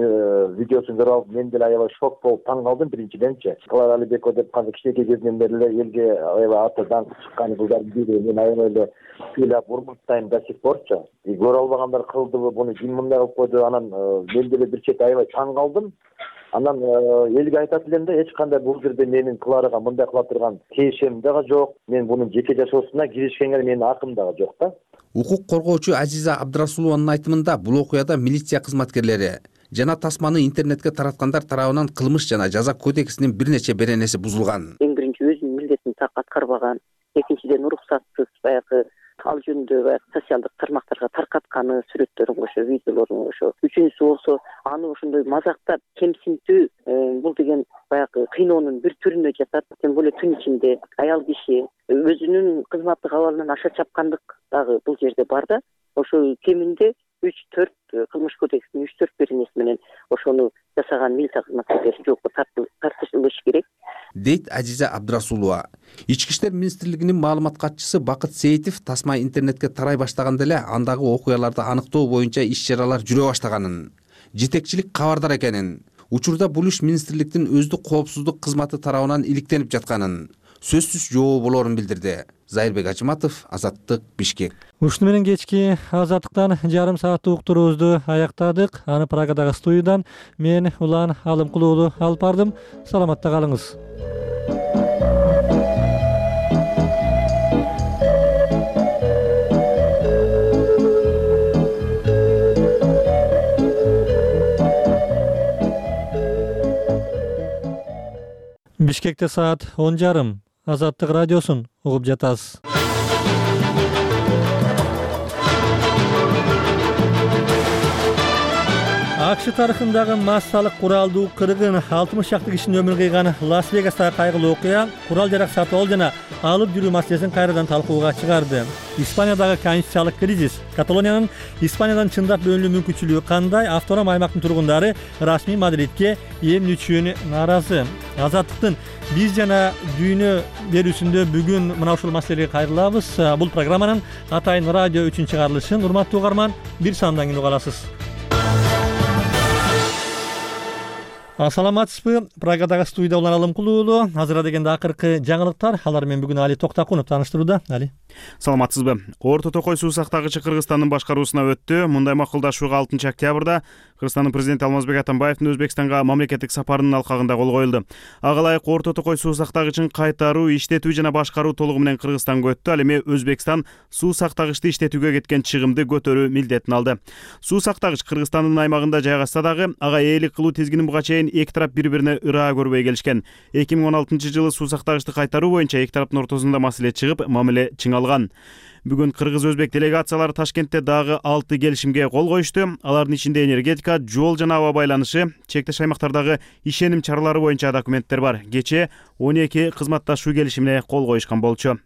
Speaker 24: видеосун көрүп алып, мен деле аябай шок болуп таң калдым биринчиденчи. Клара Алибекова деп канча кичинекей кезинен бери эле элге аябай аты даңк чыккан кыздардын бири. Мен аябай эле ыйлап урматтайм до сих порчу. И көрө албагандар кылдыбы, буну ким мындай кылып койду. Анан мен деле бир чети аябай таң калдым. Анан элге айтат элем да, эч кандай бул жерде менин Кларага мындай кыла турган тиешем дагы жок. Мен бунун жеке жашоосуна киришкенге менин акым дагы жок да.
Speaker 22: Укук коргоочу Азиза Абдрасулованын айтымында, бул окуяда милиция кызматкерлери жана тасманы интернетке тараткандар тарабынан кылмыш жана жаза кодексинин бир нече беренеси бузулган.
Speaker 14: Эң биринчи өзүнүн милдетин так аткарбаган, экинчиден уруксатсыз баягы ал жөнүндө баягы социалдык тармактарга таркатканы, сүрөттөрүн кошо, видеолорун кошо. Үчүнчүсү болсо аны ошондой мазактап, кемсинтүү, бул деген баягы кыйноонун бир түрүнө жатат. Тем более түн ичинде аял киши өзүнүн кызматтык абалынан аша чапкандык дагы бул жерде бар да. Ошо кеминде үч төрт кылмыш кодексинин үч төрт беренеси менен ошону жасаган милиция кызматкерлери жоопко тартылышы керек,
Speaker 22: дейт Ажиза Абдрасулова. Ички иштер министрлигинин маалымат катчысы Бакыт Сейитов тасма интернетке тарай баштаганда эле андагы окуяларды аныктоо боюнча иш-чаралар жүрө баштаганын, жетекчилик кабардар экенин, учурда бул иш министрликтин өздүк коопсуздук кызматы тарабынан иликтенип жатканын, сөзсүз жообу болоорун билдирди. Зайырбек Ажыматов, Азаттык, Бишкек.
Speaker 1: Ушуну менен кечки Азаттыктан жарым сааттык уктуруубузду аяктадык. Аны Прагадагы студиядан мен Улан Алымкул уулу алып бардым. Саламатта калыңыз. Бишкекте саат он жарым. Азаттык радиосун угуп жатасыз. АКШ тарыхындагы массалык куралдуу кыргын алтымыш чакты кишинин өмүрүн кыйган Лас-Вегастагы кайгылуу окуя курал-жарак сатып жана алып жүрүү маселесин кайрадан талкууга чыгарды. Испаниядагы конституциялык кризис, Каталониянын Испаниядан чындап бөлүнүү мүмкүнчүлүгү кандай? Автоном аймактын тургундары расмий Мадридке эмне үчүн нааразы? Азаттыктын биз жана дүйнө берүүсүндө бүгүн мына ушул маселеге кайрылабыз. Бул программанын Атайын радио үчүн чыгарылышын урматтуу угарман бир сандан кийин уга аласыз. Саламатсызбы? Прагадагы студияда Улан Алымкул уулу. Азыр дегенде акыркы жаңылыктар. Алар менен бүгүн Али Токтакунов тааныштырууда. Али.
Speaker 4: Саламатсызбы? Орто Токой суу сактагычы Кыргызстандын башкаруусуна өттү. Мындай макулдашууга алтынчы октябрда Кыргызстандын президенти Алмазбек Атамбаевдин Өзбекстанга мамлекеттик сапарынын алкагында кол коюлду. Ага ылайык Орто Токой суу сактагычын кайтаруу, иштетүү жана башкаруу толугу менен Кыргызстанга өттү. Ал эми Өзбекстан суу сактагычты иштетүүгө кеткен чыгымды көтөрүү милдетин алды. Суу сактагыч Кыргызстандын аймагында жайгашса дагы ага ээлик кылуу тизгинин буга чейин эки тарап бири-бирине ыраа көрбөй келишкен. эки миң он алтынчы жылы суу сактагычты кайтаруу боюнча эки тараптын ортосунда маселе чыгып, мамиле чыңалган. Бүгүн кыргыз-өзбек делегациялары Ташкентте дагы алты келишимге кол коюшту. Алардын ичинде энергетика, жол жана аба байланышы, чектеш аймактардагы ишеним чаралары боюнча документтер бар. Кечээ он эки кызматташуу келишимине кол коюшкан болчу.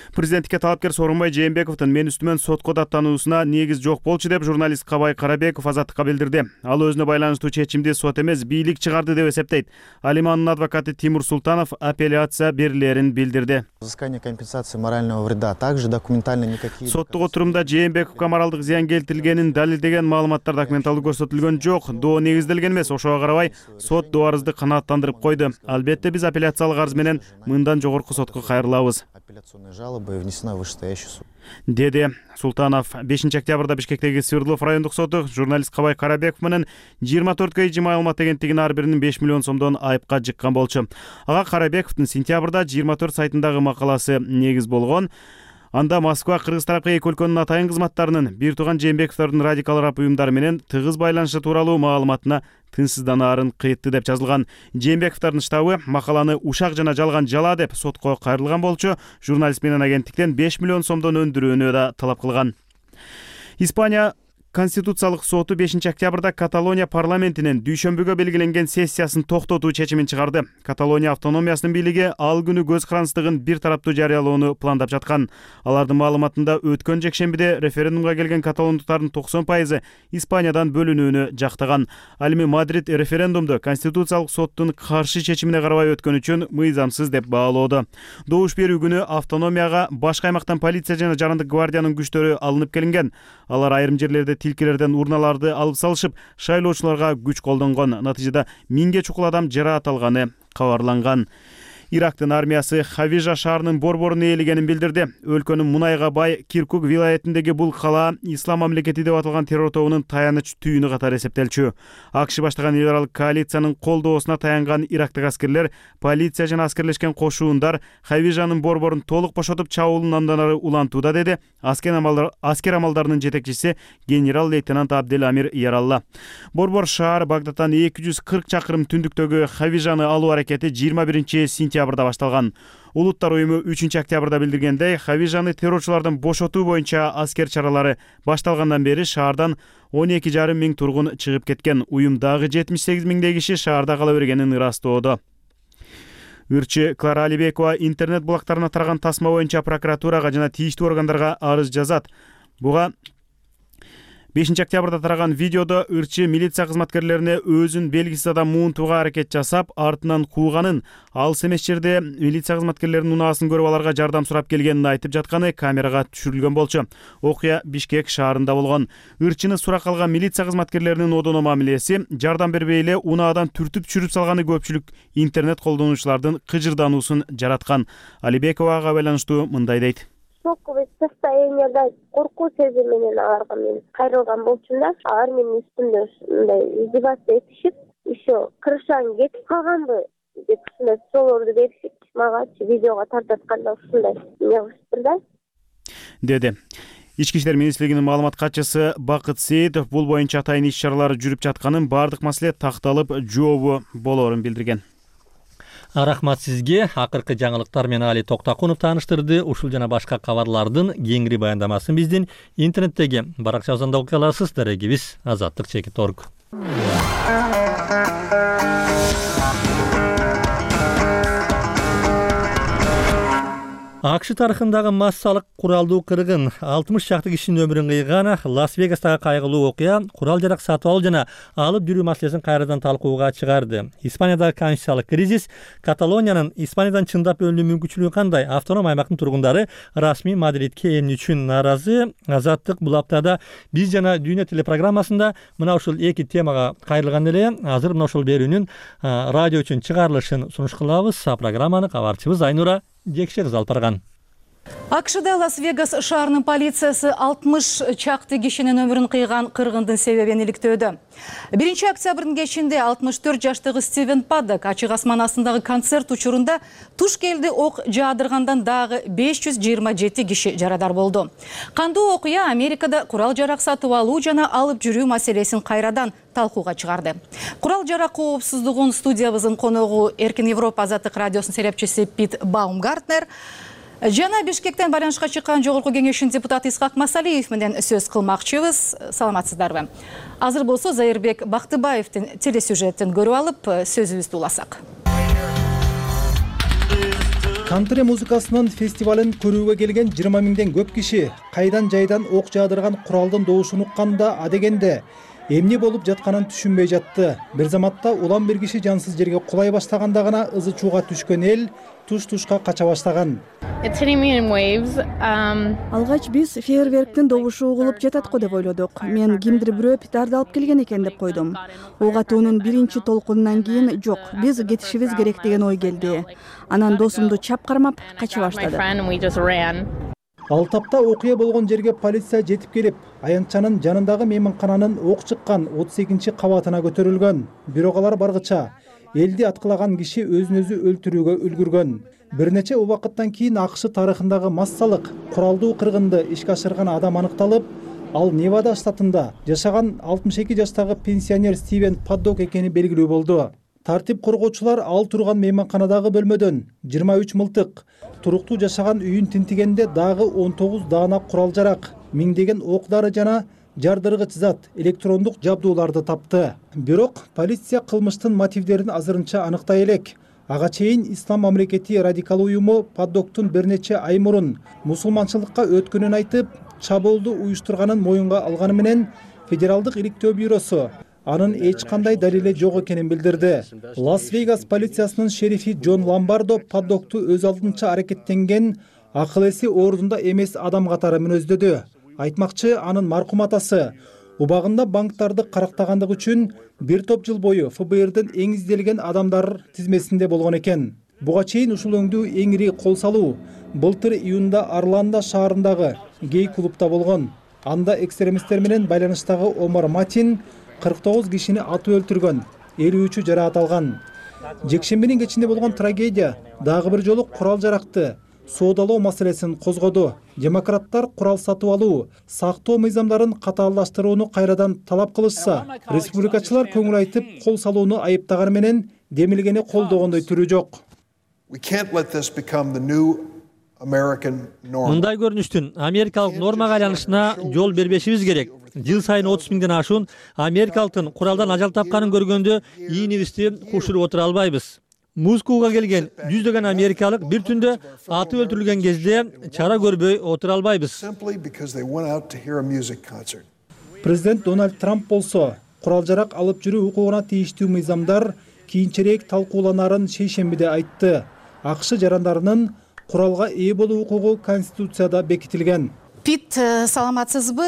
Speaker 4: Президенттикке талапкер Сооронбай Жээнбековдун мен үстүмөн сотко даттануусуна негиз жок болчу деп журналист Кабай Карабеков Азаттыкка билдирди. Ал өзүнө байланыштуу чечимди сот эмес, бийлик чыгарды деп эсептейт. Ал эми анын адвокаты Тимур Султанов апелляция берилерин билдирди.
Speaker 5: Взыскание компенсации морального вреда также документально никакие.
Speaker 4: Соттук отурумда Жээнбековго моралдык зыян келтирилгенин далилдеген маалыматтар документалдуу көрсөтүлгөн жок. Доо негизделген эмес. Ошого карабай сот доо арызды канааттандырып койду. Албетте биз апелляциялык арыз менен мындан жогорку сотко кайрылабыз.
Speaker 5: Апелляционная жалоба внесена в вышестоящий суд.
Speaker 4: Деди Султанов. бешинчи октябрда Бишкектеги Свердлов райондук соту журналист Кабай Карабеков менен жыйырма төрт кей маалымат агенттигинин ар биринин беш миллион сомдон айыпка жыккан болчу. Ага Карабековдун сентябрда жыйырма төрт сайтындагы макаласы негиз болгон. Анда Москва Кыргыз тарапка эки өлкөнүн атайын кызматтарынын бир тууган Жээнбековдордун радикал араб уюмдары менен тыгыз байланышы тууралуу маалыматына тынчсызданаарын кыйтты деп жазылган. Жээнбековдордун штабы макаланы ушак жана жалган жала деп сотко кайрылган болчу. Журналист менен агенттиктен беш миллион сомдон өндүрүүнү да талап кылган. Испания Конституциялык соту бешинчи октябрда Каталония парламентинин дүйшөмбүгө белгиленген сессиясын токтотуу чечимин чыгарды. Каталония автономиясынын бийлиги ал күнү көз карандысыздыгын бир тараптуу жарыялоону пландап жаткан. Алардын маалыматында өткөн жекшембиде референдумга келген каталондуктардын токсон пайызы Испаниядан бөлүнүүнү жактаган. Ал эми Мадрид референдумду Конституциялык соттун каршы чечимине карабай өткөн үчүн мыйзамсыз деп баалоодо. Добуш берүү күнү автономияга башка аймактан полиция жана жарандык гвардиянын күчтөрү алынып келинген. Алар айрым жерлерде тилкелерден урналарды алып салышып, шайлоочуларга күч колдонгон. Натыйжада миңге чукул адам жараат алганы кабарланган. Ирактын армиясы Хавижа шаарынын борборун ээлегенин билдирди. Өлкөнүн мунайга бай Киркук вилаятындагы бул кала Ислам мамлекети деп аталган террор тобунун таяныч түйүнү катары эсептелчү. АКШ баштаган эл аралык коалициянын колдоосуна таянган ирактык аскерлер, полиция жана аскерлешкен кошуундар Хавижанын борборун толук бошотуп чабуулун андан ары улантууда, деди аскер амалдар аскер амалдарынын жетекчиси генерал-лейтенант Абдел Амир Яралла. Борбор шаар Багдадтан эки жүз кырк чакырым түндүктөгү Хавижаны алуу аракети жыйырма биринчи сентябрда сентябрда башталган. Улуттар уюму үчүнчү октябрда билдиргендей, Хавижаны террорчулардан бошотуу боюнча аскер чаралары башталгандан бери шаардан он эки жарым миң тургун чыгып кеткен. Уюм дагы жетимиш сегиз миңдей киши шаарда кала бергенин ырастоодо. Ырчы Клара Алибекова интернет булактарына тараган тасма боюнча прокуратурага жана тийиштүү органдарга арыз жазат. Буга бешинчи октябрда тараган видеодо ырчы милиция кызматкерлерине өзүн белгисиз адам муунтууга аракет жасап, артынан кууганын, алыс эмес жерде милиция кызматкерлеринин унаасын көрүп аларга жардам сурап келгенин айтып жатканы камерага түшүрүлгөн болчу. Окуя Бишкек шаарында болгон. Ырчыны сурак алган милиция кызматкерлеринин одоно мамилеси, жардам бербей эле унаадан түртүп түшүрүп салганы көпчүлүк интернет колдонуучулардын кыжырдануусун жараткан. Алибековага байланыштуу мындай дейт.
Speaker 21: Шоковый состоянияда коркуу сезими менен аларга мен кайрылган болчумун да. Алар менин үстүмдө мындай издеваться этишип, еще крышаң кетип калганбы деп ушундай суроолорду беришип, магачы видеого тартканда ушундай эмне кылышыптыр да.
Speaker 4: Деди. Ички иштер министрлигинин маалымат катчысы Бакыт Сейитов бул боюнча атайын иш-чаралар жүрүп жатканын, бардык маселе такталып, жообу болоорун билдирген.
Speaker 1: Рахмат сизге. Акыркы жаңылыктар менен Али Токтакунов тааныштырды. Ушул жана башка кабарлардын кеңири баяндамасын биздин интернеттеги баракчабыздан да окуй аласыз. Дарегибиз азаттык чекит точка орг. АКШ тарыхындагы массалык куралдуу кыргын алтымыш чакты кишинин өмүрүн кыйган Лас-Вегастагы кайгылуу окуя курал жарак сатып алуу жана алып жүрүү маселесин кайрадан талкууга чыгарды. Испаниядагы конституциялык кризис, Каталониянын Испаниядан чындап бөлүнүү мүмкүнчүлүгү кандай? Автоном аймактын тургундары расмий Мадридке эмне үчүн нааразы? Азаттык бул аптада биз жана Дүйнө телепрограммасында мына ушул эки темага кайрылган эле. Азыр мына ушул берүүнүн радио үчүн чыгарылышын сунуш кылабыз. Программаны кабарчыбыз Айнура Жекше кыз алып барган.
Speaker 7: АКШда Лас-Вегас шаарынын полициясы алтымыш чакты кишинин өмүрүн кыйган кыргындын себебин иликтөөдө. биринчи октябрдын кечинде алтымыш төрт жаштагы Стивен Паддок ачык асман астындагы концерт учурунда туш келди ок жаадыргандан дагы беш жүз жыйырма жети киши жарадар болду. Кандуу окуя Америкада курал жарак сатып алуу жана алып жүрүү маселесин кайрадан талкууга чыгарды. Курал жарак коопсуздугун студиябыздын коногу Эркин Европа азаттык радиосунун серепчиси Пит Баумгартнер жана Бишкектен байланышка чыккан жогорку кеңештин депутаты Исхак Масалиев менен сөз кылмакчыбыз. Саламатсыздарбы? Азыр болсо Зайырбек Бактыбаевдин телесюжетин көрүп алып, сөзүбүздү уласак.
Speaker 8: Кантри музыкасынын фестивалын көрүүгө келген жыйырма миңден көп киши кайдан жайдан ок жаадырган куралдын добушун укканда адегенде эмне болуп жатканын түшүнбөй жатты. Бир заматта улам бир киши жансыз жерге кулай баштаганда гана ызы чууга түшкөн эл туш-тушка кача баштаган.
Speaker 19: Алгач биз фейерверктин добушу угулуп жатат го деп ойлодук. Мен кимдир бирөө питарды алып келген экен деп койдум. Ок атуунун биринчи толкунунан кийин жок, биз кетишибиз керек деген ой келди. Анан досумду чап кармап кача баштады.
Speaker 8: Ал тапта окуя болгон жерге полиция жетип келип, аянтчанын жанындагы мейманкананын ок чыккан отуз экинчи кабатына көтөрүлгөн. Бирок алар баргыча элди аткылаган киши өзүн өзү өлтүрүүгө үлгүргөн. Бир нече убакыттан кийин АКШ тарыхындагы массалык куралдуу кыргынды ишке ашырган адам аныкталып, ал Невада штатында жашаган алтымыш эки жаштагы пенсионер Стивен Паддок экени белгилүү болду. Тартип коргоочулар ал турган мейманканадагы бөлмөдөн жыйырма үч мылтык, туруктуу жашаган үйүн тинтигенде дагы он тогуз даана курал жарак, миңдеген ок-дары жана жардыргыч зат, электрондук жабдууларды тапты. Бирок полиция кылмыштын мотивдерин азырынча аныктай элек. Ага чейин Ислам мамлекети радикал уюму Паддоктун бир нече ай мурун мусулманчылыкка өткөнүн айтып, чабуулду уюштурганын моюнга алганы менен Федералдык иликтөө бюросу анын эч кандай далили жок экенин билдирди. Лас-Вегас полициясынын шерифи Джон Ламбардо Паддокту өз алдынча аракеттенген акыл эси ордунда эмес адам катары мүнөздөдү. Айтмакчы, анын маркум атасы убагында банктарды карактагандыгы үчүн бир топ жыл бою эф бэ эрдин эң изделген адамдар тизмесинде болгон экен. Буга чейин ушул өңдүү эң ири кол салуу былтыр июнда Орландо шаарындагы гей клубда болгон. Анда экстремисттер менен байланыштагы Омар Матин кырк тогуз кишини атып өлтүргөн, элүү үчү жараат алган. Жекшембинин кечинде болгон трагедия дагы бир жолу курал жаракты соодалоо маселесин козгоду. Демократтар курал сатып алуу, сактоо мыйзамдарын катаалдаштырууну кайрадан талап кылышса, республикачылар көңүл айтып кол салууну айыптаганы менен демилгени колдогондой түрү жок.
Speaker 1: Мындай көрүнүштүн америкалык нормага айланышына жол бербешибиз керек. Жыл сайын отуз миңден ашуун америкалыктын куралдан ажал тапканын көргөндө ийинибизди кушуруп отура албайбыз. Москвага келген жүздөгөн америкалык бир түндө атып өлтүрүлгөн кезде чара көрбөй отура албайбыз.
Speaker 8: Президент Дональд Трамп болсо курал жарак алып жүрүү укугуна тийиштүү мыйзамдар кийинчерээк талкууланарын шейшембиде айтты. АКШ жарандарынын куралга ээ болуу укугу Конституцияда бекитилген.
Speaker 7: Пит, саламатсызбы?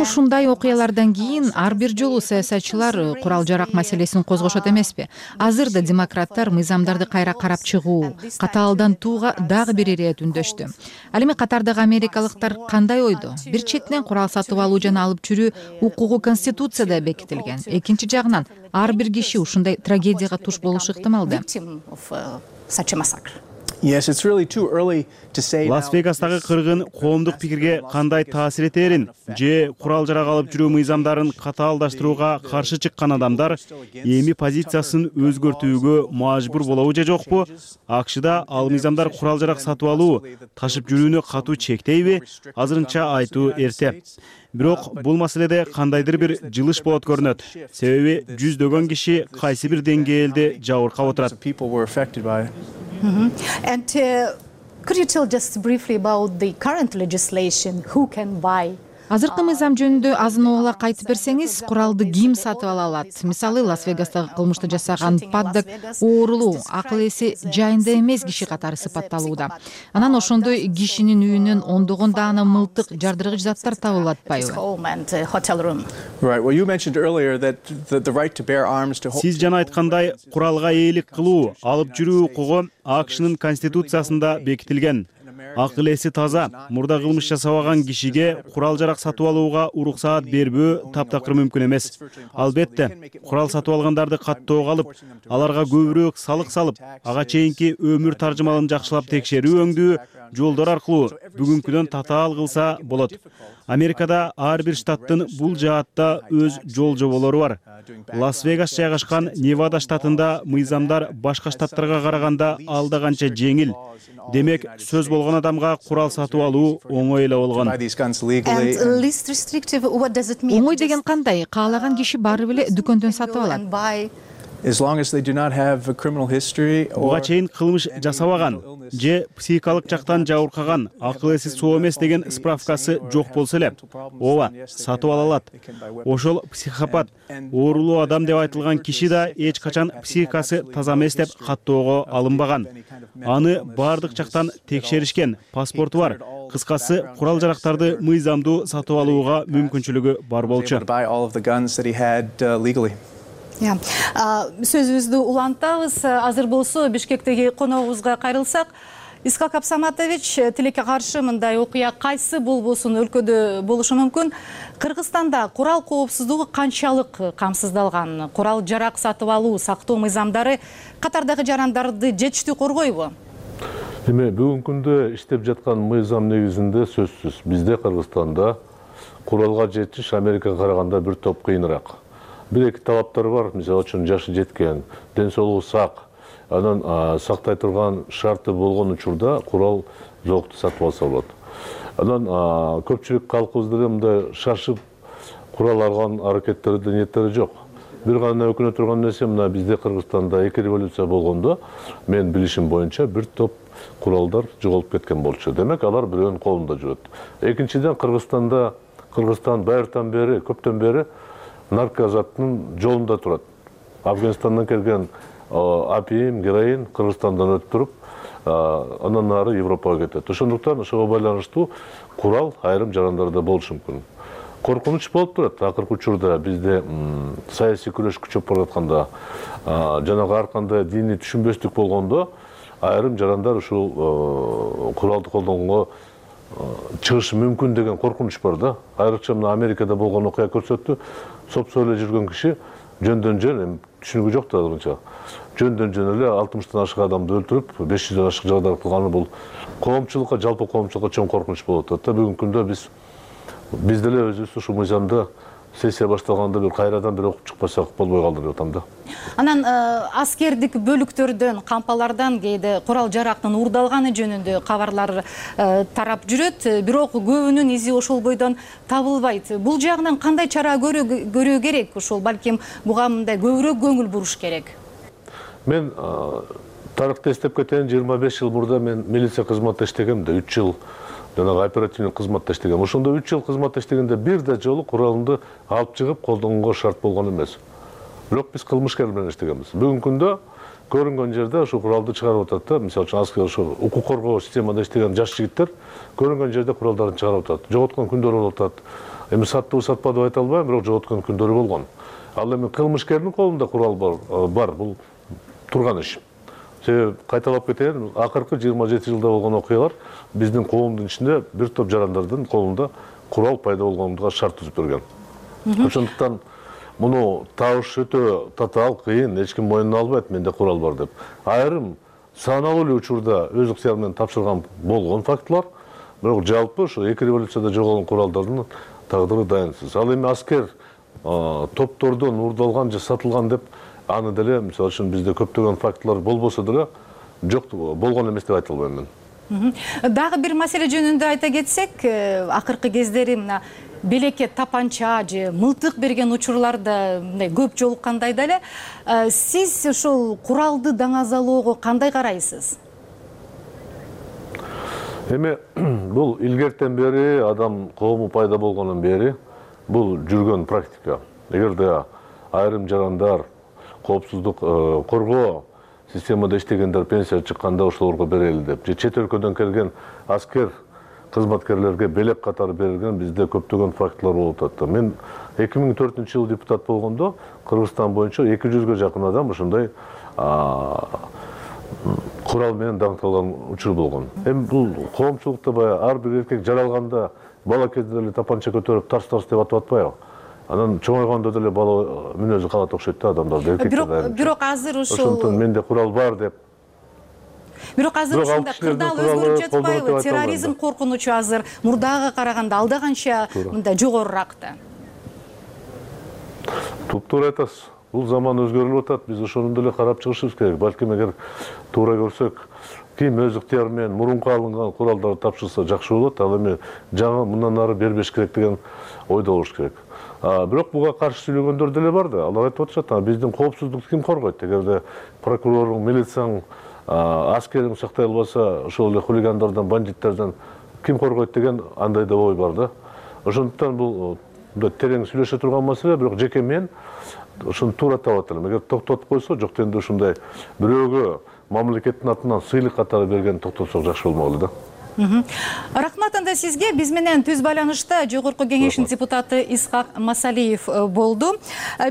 Speaker 2: Ушундай окуялардан кийин ар бир жолу саясатчылар курал жарак маселесин козгошот эмеспи? Азыр да демократтар мыйзамдарды кайра карап чыгуу, катаалдантууга дагы бир ирет үндөштү. Ал эми катардагы америкалыктар кандай ойдо? Бир четинен курал сатып алуу жана алып жүрүү укугу Конституцияда бекитилген. Экинчи жагынан ар бир киши ушундай трагедияга туш болушу ыктымалды.
Speaker 4: Лас-Вегастагы кыргын коомдук пикирге кандай таасир этерин же курал жарак алып жүрүү мыйзамдарын катаалдаштырууга каршы чыккан адамдар эми позициясын өзгөртүүгө мажбур болобу же жокпу? АКШда ал мыйзамдар курал жарак сатып алуу, ташып жүрүүнү катуу чектейби? Азырынча айтуу эрте. Бирок бул маселеде кандайдыр бир жылыш болот көрүнөт. Себеби жүздөгөн киши кайсы бир деңгээлде жабыркап отурат.
Speaker 7: And uh, could you tell just briefly about the current legislation? Who can buy?
Speaker 2: Азыркы мыйзам жөнүндө азын оолак айтып берсеңиз, куралды ким сатып ала алат? Мисалы, Лас-Вегастагы кылмышты жасаган паддак оорулуу, акыл эси жайында эмес киши катары сыпатталууда. Анан ошондой кишинин үйүнөн ондогон даана мылтык, жардыргыч заттар табылып атпайбы?
Speaker 4: Сиз жана айткандай, куралга ээлик кылуу, алып жүрүү укугу АКШнын Конституциясында бекитилген. Акыл эси таза, мурда кылмыш жасабаган кишиге курал жарак сатып алууга уруксаат бербөө таптакыр мүмкүн эмес. Албетте, курал сатып алгандарды каттоого алып, аларга көбүрөөк салык салып, ага чейинки өмүр таржымалын жакшылап текшерүү өңдүү жолдор аркылуу бүгүнкүдөн татаал кылса болот. Америкада ар бир штаттын бул жаатта өз жол жоболору бар. Лас-Вегас жайгашкан Невада штатында мыйзамдар башка штаттарга караганда алда канча жеңил. Демек, сөз болгон адамга курал сатып алуу оңой эле болгон.
Speaker 2: Оңой деген кандай? Каалаган киши бары эле дүкөндөн сатып алат.
Speaker 4: Буга чейин кылмыш жасабаган же психикалык жактан жабыркаган, акыл эси соо эмес деген справкасы жок болсо эле, ооба, сатып ала алат. Ошол психопат, оорулуу адам деп айтылган киши да эч качан психикасы таза эмес деп каттоого алынбаган. Аны бардык жактан текшеришкен, паспорту бар. Кыскасы, курал жарактарды мыйзамдуу сатып алууга мүмкүнчүлүгү бар болчу.
Speaker 7: Сөзүбүздү улантабыз. Азыр болсо Бишкектеги коногубузга кайрылсак, Исхак Абсаматович, тилекке каршы мындай окуя кайсы болбосун өлкөдө болушу мүмкүн? Кыргызстанда курал коопсуздугу канчалык камсыздалган? Курал жарак сатып алуу, сактоо мыйзамдары катардагы жарандарды жетиштүү коргойбу?
Speaker 6: Эми бүгүнкү күндө иштеп жаткан мыйзам негизинде сөзсүз бизде Кыргызстанда куралга жетиш Америкага караганда бир топ кыйыныраак. Бир-эки талаптар бар, мисалы үчүн жашы жеткен, ден соолугу сак, анан сактай турган шарты болгон учурда курал жокту сатып алса болот. Анан көпчүлүк калкыбызда мындай шашып курал алган аракеттерди ниеттери жок. Бир гана өкүнө турган нерсе, мына бизде Кыргызстанда эки революция болгондо, мен билишим боюнча бир топ куралдар жоголуп кеткен болчу. Демек, алар бирөөнүн колунда жүрөт. Экинчиден, Кыргызстанда, Кыргызстан байыртан бери, көптөн бери наркозаттын жолунда турат. Афганистандан келген апиим, героин Кыргызстандан өтүп туруп, анан нары Европага кетет. Ошондуктан ошого байланыштуу курал айрым жарандарда болушу мүмкүн. Коркунуч болуп турат. Акыркы учурда бизде саясий күрөш күчөп баратканда, жанагы ар кандай диний түшүнбөстүк болгондо, айрым жарандар ушул куралды колдонгонго чыгышы мүмкүн деген коркунуч бар да. Айрыкча мына Америкада болгон окуя көрсөттү. Сопсо эле жүргөн киши жөндөн жөн, түшүнүгү жок да азырынча. Жөндөн жөн эле алтымыштан ашык адамды өлтүрүп, беш жүздөн ашык жагдайлар кылганы бул коомчулукка, жалпы коомчулукка чоң коркунуч болуп атат да. Бүгүнкү күндө биз биз деле өзүбүз ушул мыйзамды сессия башталганда бир кайрадан бир окуп чыкпасак болбой калды деп атам да.
Speaker 7: Анан аскердик бөлүктөрдөн, кампалардан кээде курал жарактын уурдалганы жөнүндө кабарлар тарап жүрөт, бирок көбүнүн изи ошол бойдон табылбайт. Бул жагынан кандай чара көрүү керек? Ошол балким буга мындай көбүрөөк көңүл буруш керек.
Speaker 6: Мен тарыхты эстеп кетейин, жыйырма беш жыл мурда мен милиция кызматта иштегем да, үч жыл жанагы оперативный кызматта иштегем. Ошондо үч жыл кызматта иштегенде бир да жолу куралымды алып чыгып колдонгонго шарт болгон эмес. Бирок биз кылмышкер менен иштегенбиз. Бүгүнкү күндө көрүнгөн жерде ошо куралды чыгарып атат да. Мисалы үчүн аскер ошо укук коргоо системада иштеген жаш жигиттер көрүнгөн жерде куралдарын чыгарып атат. Жоготкон күндөрү болуп атат. Эми саттыбы сатпады деп айта албайм, бирок жоготкон күндөрү болгон. Ал эми кылмышкердин колунда курал бар, бул турган иш. Себеби кайталап кетейин, акыркы жыйырма жети жылда болгон окуялар биздин коомдун ичинде бир топ жарандардын колунда курал пайда болгонуга шарт түзүп берген. Ошондуктан муну табыш өтө татаал, кыйын, эч ким мойнуна албайт, менде курал бар деп. Айрым саналуу эле учурда өз ыктыяры менен тапшырган болгон фактылар, бирок жалпы ошо эки революцияда жоголгон куралдардын тагдыры дайынсыз. Ал эми аскер топтордон уурдалган же сатылган деп аны деле, мисалы үчүн бизде көптөгөн фактылар болбосо деле жок болгон эмес деп айта албайм мен.
Speaker 7: Дагы бир маселе жөнүндө айта кетсек, акыркы кездери мына белекке тапанча же мылтык берген учурларда мындай көп жолуккандай да эле. Сиз ошол куралды даңазалоого кандай карайсыз?
Speaker 6: Эми бул илгертен бери адам коому пайда болгондон бери бул жүргөн практика. Эгерде айрым жарандар коопсуздук коргоо системада иштегендер пенсия чыкканда ошолорго берели деп, же чет өлкөдөн келген аскер кызматкерлерге белек катары берилген бизде көптөгөн фактылар болуп атат. Мен эки миң төртүнчү жылы депутат болгондо Кыргызстан боюнча эки жүзгө жакын адам ошондой курал менен даңкталган учур болгон. Эми бул коомчулукта баягы ар бир эркек жаралганда бала кезде эле тапанча көтөрүп тарс-тарс деп атып атпайбы? Анан чоңойгондо деле бала мүнөзү калат окшойт да адамдарды, эркектерди.
Speaker 7: Бирок азыр ошол
Speaker 6: ошондуктан менде курал бар деп.
Speaker 7: Бирок азыр ушундай кырдаал өзгөрүп жатпайбы? Терроризм коркунучу азыр мурдага караганда алда канча мындай жогорураак да.
Speaker 6: Туп-туура айтасыз. Бул заман өзгөрүлүп атат. Биз ошону деле карап чыгышыбыз керек. Балким эгер туура көрсөк, ким өз ыктыяры менен мурунку алынган куралдарды тапшырса жакшы болот. Ал эми жаңы мындан ары бербеш керек деген ойдо болуш керек. Бирок буга каршы сүйлөгөндөр деле бар да. Алар айтып атышат, биздин коопсуздукту ким коргойт? Эгерде прокуроруң, милицияң, аскериң сактай албаса, ошол эле хулигандардан, бандиттерден ким коргойт деген андай да ой бар да. Ошондуктан бул терең сүйлөшө турган маселе, бирок жеке мен ошону туура таап атам. Эгер токтотуп койсо, жок дегенде ушундай бирөөгө мамлекеттин атынан сыйлык катары берген токтотсок жакшы болмок эле да.
Speaker 7: Рахмат анда сизге. Биз менен түз байланышта Жогорку кеңештин депутаты Исхак Масалиев болду.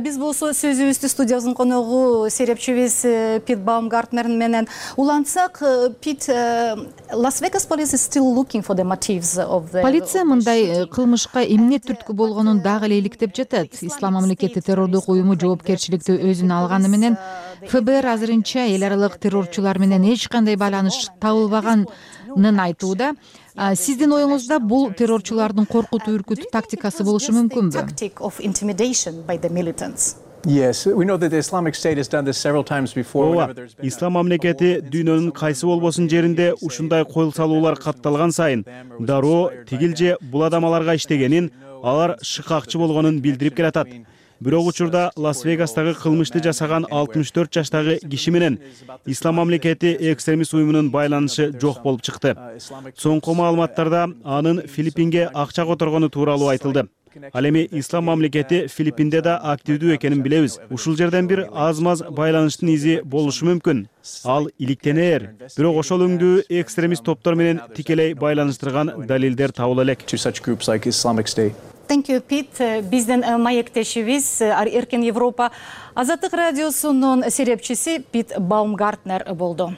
Speaker 7: Биз болсо сөзүбүздү студиябыздын коногу серепчибиз Пит Баумгартнер менен улантсак, Пит, Las Vegas police is still looking for the motives of the
Speaker 2: Полиция мындай кылмышка эмне түрткү болгонун дагы эле иликтеп жатат. Ислам мамлекети террордук уюму жоопкерчиликти өзүнө алганы менен ФБР азырынча эл аралык террорчулар менен эч кандай байланыш табылбаганын айтууда. Сиздин оюңузда бул террорчулардын коркутуу үркүтүү тактикасы болушу мүмкүнбү?
Speaker 4: Ооба, Ислам мамлекети дүйнөнүн кайсы болбосун жеринде ушундай койл салуулар катталган сайын дароо тигил же бул адам аларга иштегенин, алар шыкакчы болгонун билдирип келатат. Бирок учурда Лас-Вегастагы кылмышты жасаган алтымыш төрт жаштагы киши менен Ислам мамлекети экстремист уюмунун байланышы жок болуп чыкты. Соңку маалыматтарда анын Филиппинге акча которгону тууралуу айтылды. Ал эми Ислам мамлекети Филиппинде да активдүү экенин билебиз. Ушул жерден бир аз-маз байланыштын изи болушу мүмкүн. Ал иликтенер. Бирок ошол өңдүү экстремист топтор менен тикелей байланыштырган далилдер табыла элек.
Speaker 7: Thank you, Pete. Биздин маектешибиз Эркен Европа Азаттык радиосунун серепчиси Пит Баумгартнер болду.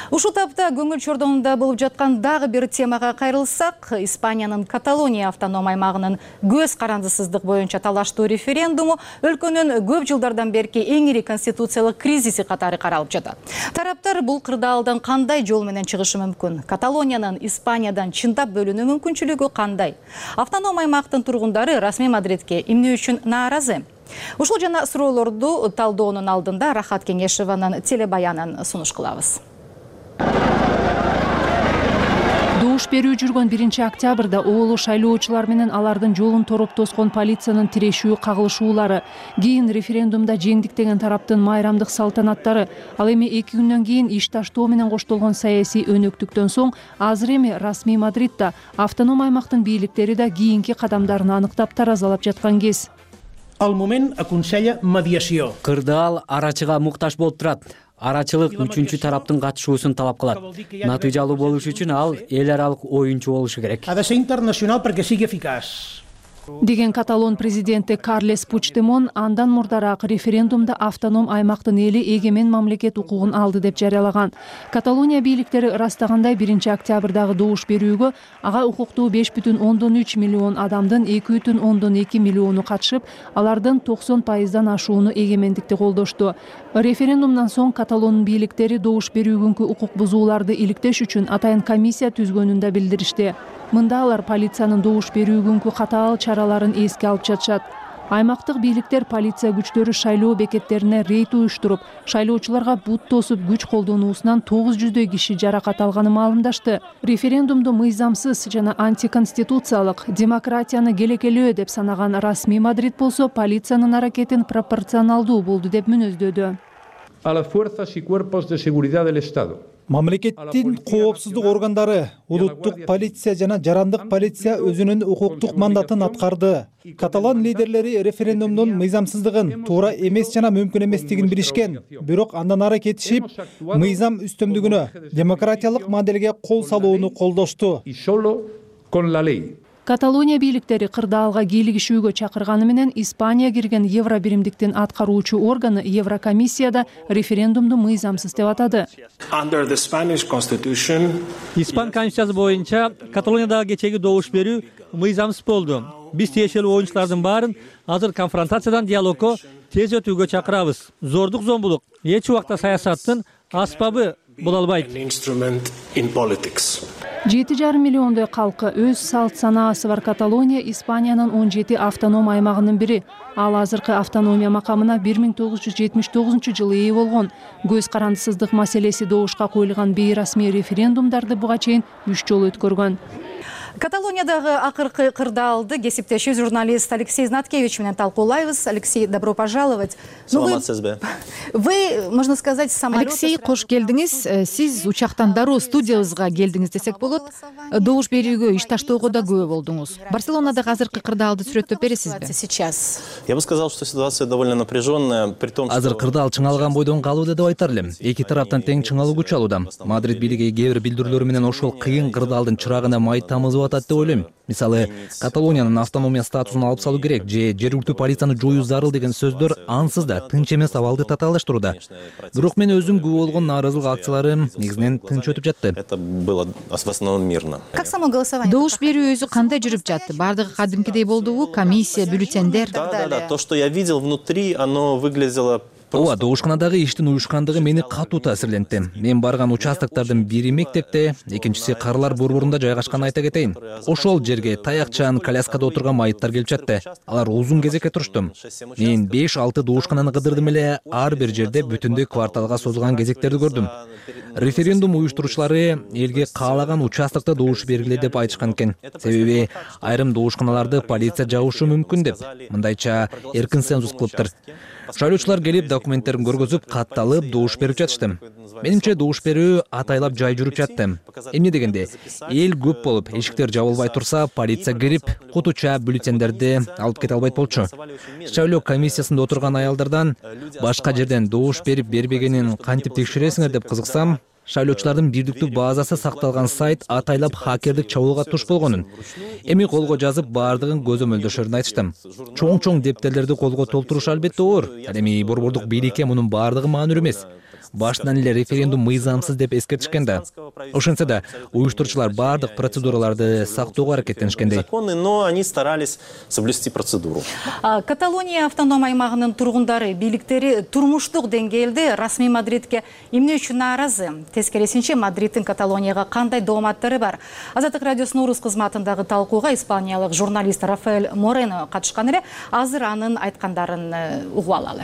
Speaker 7: Ушул тапта көңүл чордонунда болуп жаткан дагы бир темага кайрылсак, Испаниянын Каталония автоном аймагынын көз карандысыздык боюнча талаштуу референдуму өлкөнүн көп жылдардан берки эң ири конституциялык кризиси катары каралып жатат. Тараптар бул кырдаалдан кандай жол менен чыгышы мүмкүн? Каталониянын Испаниядан чындап бөлүнүү мүмкүнчүлүгү кандай? Автоном аймактын тургундары расмий Мадридке эмне үчүн нааразы? Ушул жана суроолорду талдоонун алдында Рахат Кеңешеванын телебаянын сунуш кылабыз.
Speaker 2: Добуш берүү жүргөн биринчи октябрда оолу шайлоочулар менен алардын жолун тороп тоскон полициянын тирешүү кагылышуулары, кийин референдумда жеңдик деген тараптын майрамдык салтанаттары, ал эми эки күндөн кийин иш таштоо менен коштолгон саясий өнөктүктөн соң азыр эми расмий Мадридда автоном аймактын бийликтери да кийинки кадамдарын аныктап таразалап жаткан кез.
Speaker 3: Al moment aconsella mediació.
Speaker 9: Кырдаал арачыга муктаж болуп турат. Арачылык үчүнчү тараптын катышуусун талап кылат. Натыйжалуу болуш үчүн ал эл аралык оюнчу болушу керек.
Speaker 3: Ha de ser internacional perquè sigui eficaç.
Speaker 2: Деген Каталон президенти Карлес Пучдемон андан мурдараак референдумда автоном аймактын эли эгемен мамлекет укугун алды деп жарыялаган. Каталония бийликтери ырастагандай биринчи октябрдагы добуш берүүгө ага укуктуу беш бүтүн ондон үч миллион адамдын эки бүтүн ондон эки миллиону катышып, алардын токсон пайыздан ашууну эгемендикти колдошту. Референдумдан соң Каталонун бийликтери добуш берүүгүнкү укук бузууларды иликтеш үчүн атайын комиссия түзгөнүн да билдиришти. Мында алар полициянын добуш берүүгүнкү катаал чараларын эске алып жатышат. Аймактык бийликтер полиция күчтөрү шайлоо бекеттерине рейд уюштуруп, шайлоочуларга бут тосуп күч колдонуусунан тогуз жүздөй киши жаракат алганын маалымдашты. Референдумду мыйзамсыз жана антиконституциялык, демократияны келекелөө деп санаган расмий Мадрид болсо полициянын аракетин пропорционалдуу болду деп мүнөздөдү.
Speaker 10: A las fuerzas y cuerpos de seguridad del Estado.
Speaker 8: Мамлекеттин коопсуздук органдары, улуттук полиция жана жарандык полиция өзүнүн укуктук мандатын аткарды. Каталан лидерлери референдумдун мыйзамсыздыгын, туура эмес жана мүмкүн эместигин билишкен. Бирок андан ары кетишип, мыйзам үстөмдүгүнө, демократиялык моделге кол салууну колдошту.
Speaker 2: Каталония бийликтери кырдаалга кийлигишүүгө чакырганы менен Испания кирген Евро биримдиктин аткаруучу органы Еврокомиссияда референдумду мыйзамсыз деп атады.
Speaker 1: Испан конституциясы боюнча Каталониядагы кечеги добуш берүү мыйзамсыз болду. Биз тиешелүү оюнчулардын баарын азыр конфронтациядан диалогко тез өтүүгө чакырабыз. Зордук зомбулук эч убакта саясаттын аспабы боло албайт.
Speaker 2: жети жарым миллиондой калкы өз салт санаасы бар Каталония Испаниянын он жети автоном аймагынын бири. Ал азыркы автономия макамына бир миң тогуз жүз жетимиш тогузунчу жылы ээ болгон. Көз карандысыздык маселеси добушка коюлган бейрасмий референдумдарды буга чейин үч жолу өткөргөн.
Speaker 7: Каталониядагы акыркы кырдаалды кесиптеши журналист Алексей Знаткевич менен талкуулайбыз. Алексей, добро пожаловать.
Speaker 13: Саламатсызбы?
Speaker 7: Вы, можно сказать, самолет...
Speaker 2: Алексей, кош келдиңиз. Сиз учактан дароо студиябызга келдиңиз десек болот. Добуш берүүгө иш таштоого да күбө болдуңуз. Барселонадагы азыркы кырдаалды сүрөттөп бересизби?
Speaker 7: Сейчас.
Speaker 13: Я бы сказал, что ситуация довольно напряженная, при том, что...
Speaker 9: Азыр кырдаал чыңалган бойдон калууда деп айтар элем. Эки тараптан тең чыңалуу күч алууда. Мадрид бийлиги кээ бир билдирүүлөрү менен ошол кыйын кырдаалдын чырагына май тамызып атат деп ойлойм. Мисалы, Каталониянын автономия статусун алып салуу керек же жергиликтүү полицияны жоюу зарыл деген сөздөр ансыз да тынч эмес абалды татаалдаштырууда. Бирок мен өзүм күбө болгон нааразылык акциялары негизинен тынч өтүп жатты.
Speaker 13: Это было в основном мирно.
Speaker 7: Как само голосование?
Speaker 2: Добуш берүү өзү кандай жүрүп жатты? Бардыгы кадимкидей болдубу? Комиссия, бюллетендер?
Speaker 13: Да, да, да. То, что я видел внутри, оно выглядело...
Speaker 9: Ооба, добушканадагы иштин уюшкандыгы мени катуу таасирлентти. Мен барган участоктордун бири мектепте, экинчиси Карлар борборунда жайгашканын айта кетейин. Ошол жерге таякчан, коляскада отурган майыттар келип жатты. Алар узун кезекке турушту. Мен беш алты добушкананы кыдырдым эле, ар бир жерде бүтүндөй кварталга созулган кезектерди көрдүм. Референдум уюштуруучулары элге каалаган участокто добуш бергиле деп айтышкан экен. Себеби айрым добушканаларды полиция жабышы мүмкүн деп. Мындайча эркин цензус кылыптыр. Шайлоочулар келип документтерин көргөзүп, катталып, добуш берип жатышты. Менимче добуш берүү атайлап жай жүрүп жатты. Эмне дегенде, эл көп болуп, эшиктер жабылбай турса, полиция кирип, кутуча бюллетендерди алып кете албайт болчу. Шайлоо комиссиясында отурган аялдардан башка жерден добуш берип бербегенин кантип текшересиңер деп кызыксам, шайлоочулардын бирдиктүү базасы сакталган сайт атайлап хакердик чабуулга туш болгонун, эми колго жазып баардыгын көзөмөлдөшөрүн айтышты. Чоң-чоң дептерлерди колго толтуруш албетте оор. Ал эми борбордук бийликке мунун баардыгы маанилүү эмес. башынан эле референдум мыйзамсыз деп эскертишкен да. Ошентсе да уюштуруучулар бардык процедураларды сактоого аракеттенишкендей.
Speaker 13: Но они старались соблюсти процедуру.
Speaker 7: Каталония автоном аймагынын тургундары, бийликтери турмуштук деңгээлде расмий Мадридке эмне үчүн нааразы? Тескерисинче, Мадридтин Каталонияга кандай дооматтары бар? Азаттык радиосунун орус кызматындагы талкууга испаниялык журналист Рафаэль Морено катышкан эле. Азыр анын айткандарын угуп алалы.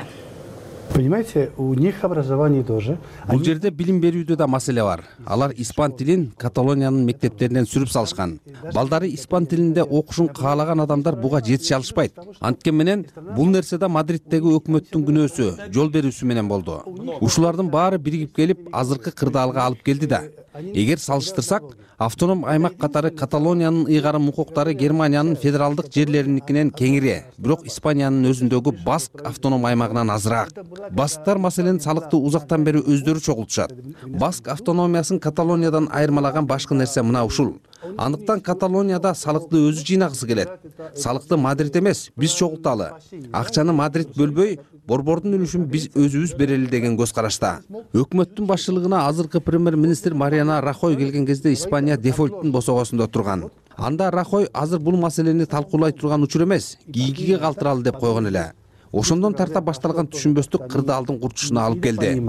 Speaker 11: Понимаете, у них образование тоже.
Speaker 22: Бул жерде билим берүүдө да маселе бар. Алар испан тилин Каталониянын мектептеринен сүрүп салышкан. Балдары испан тилинде окушун каалаган адамдар буга жетише алышпайт. Анткени менен бул нерсе да Мадриттеги өкмөттүн күнөөсү, жол берүүсү менен болду. Ушулардын баары биригип келип, азыркы кырдаалга алып келди да. Эгер салыштырсак, автоном аймак катары Каталониянын ыйгарым укуктары Германиянын федералдык жерлериникинен кеңири, бирок Испаниянын өзүндөгү Баск автоном аймагынан азыраак. Басктар маселен салыкты узактан бери өздөрү чогултушат. Баск автономиясын Каталониядан айырмалаган башкы нерсе мына ушул. Андыктан Каталонияда салыкты өзү жыйнагысы келет. Салыкты Мадрид эмес, биз чогулталы. Акчаны Мадрид бөлбөй, борбордун үлүшүн биз өзүбүз берели деген көз карашта. Өкмөттүн башчылыгына азыркы премьер-министр Мариана Рахой келген кезде Испания дефолттун босогосунда турган. Анда Рахой азыр бул маселени талкуулай турган учур эмес, кийинкиге калтыралы деп койгон эле. Ошондон тарта башталган түшүнбөстүк кырдаалдын курчушуна алып келди.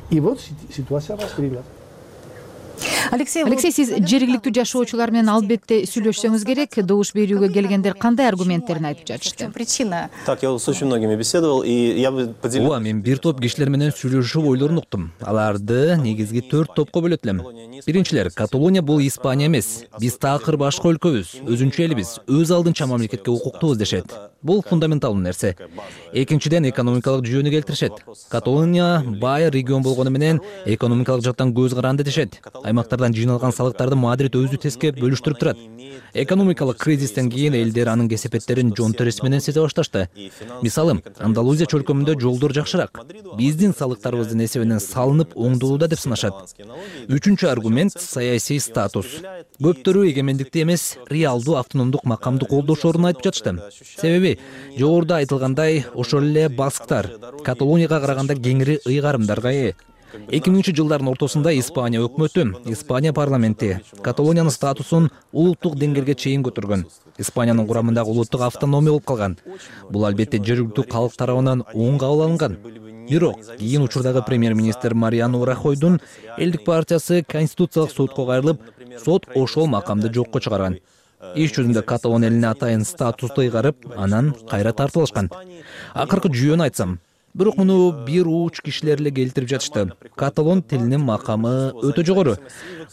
Speaker 11: И вот ситуация раскрылась.
Speaker 7: Алексей,
Speaker 2: Алексей, сиз жергиликтүү жашоочулар менен албетте сүйлөшсөңүз керек. Добуш берүүгө келгендер кандай аргументтерин айтып жатышты?
Speaker 7: Причина.
Speaker 13: Так, я с очень многими беседовал, и я бы поделил...
Speaker 9: Ооба, мен бир топ кишилер менен сүйлөшүп ойлорун уктум. Аларды негизги төрт топко бөлөт элем. Биринчилер, Каталония бул Испания эмес. Биз такыр башка өлкөбүз, өзүнчө элибиз, өз алдынча мамлекетке укуктуубуз дешет. Бул фундаменталдуу нерсе. Экинчиден, экономикалык жүйөнү келтиришет. Каталония бай регион болгону менен экономикалык жактан көз каранды дешет. Аймактардан жыйналган салыктарды Мадрид өзү тескеп бөлүштүрүп турат. Экономикалык кризистен кийин элдер анын кесепеттерин жон терisi менен сезе башташты. Мисалы, Андалузия чөлкөмүндө жолдор жакшыраак. Биздин салыктарыбыздын эсебинен салынып оңдолууда деп сынашат. Үчүнчү аргумент — саясий статус. Көптөрү эгемендикти эмес, реалдуу автономдук макамды колдошорун айтып жатышты. Себеби жогоруда айтылгандай, ошол эле басктар Каталонияга караганда кеңири ыйгарымдарга ээ. эки миңинчи жылдардын ортосунда Испания өкмөтү, Испания парламенти Каталониянын статусун улуттук деңгээлге чейин көтөргөн. Испаниянын курамындагы улуттук автономия болуп калган. Бул албетте жергиликтүү калк тарабынан оң кабыл алынган. Бирок кийин учурдагы премьер-министр Мариано Рахойдун элдик партиясы Конституциялык сотко кайрылып, сот ошол макамды жокко чыгарган. Иш жүзүндө Каталон элине атайын статусту ыйгарып, анан кайра тартып алышкан. Акыркы жүйөнү айтсам, бирок муну бир уч кишилер эле келтирип жатышты. Каталон тилинин макамы өтө жогору.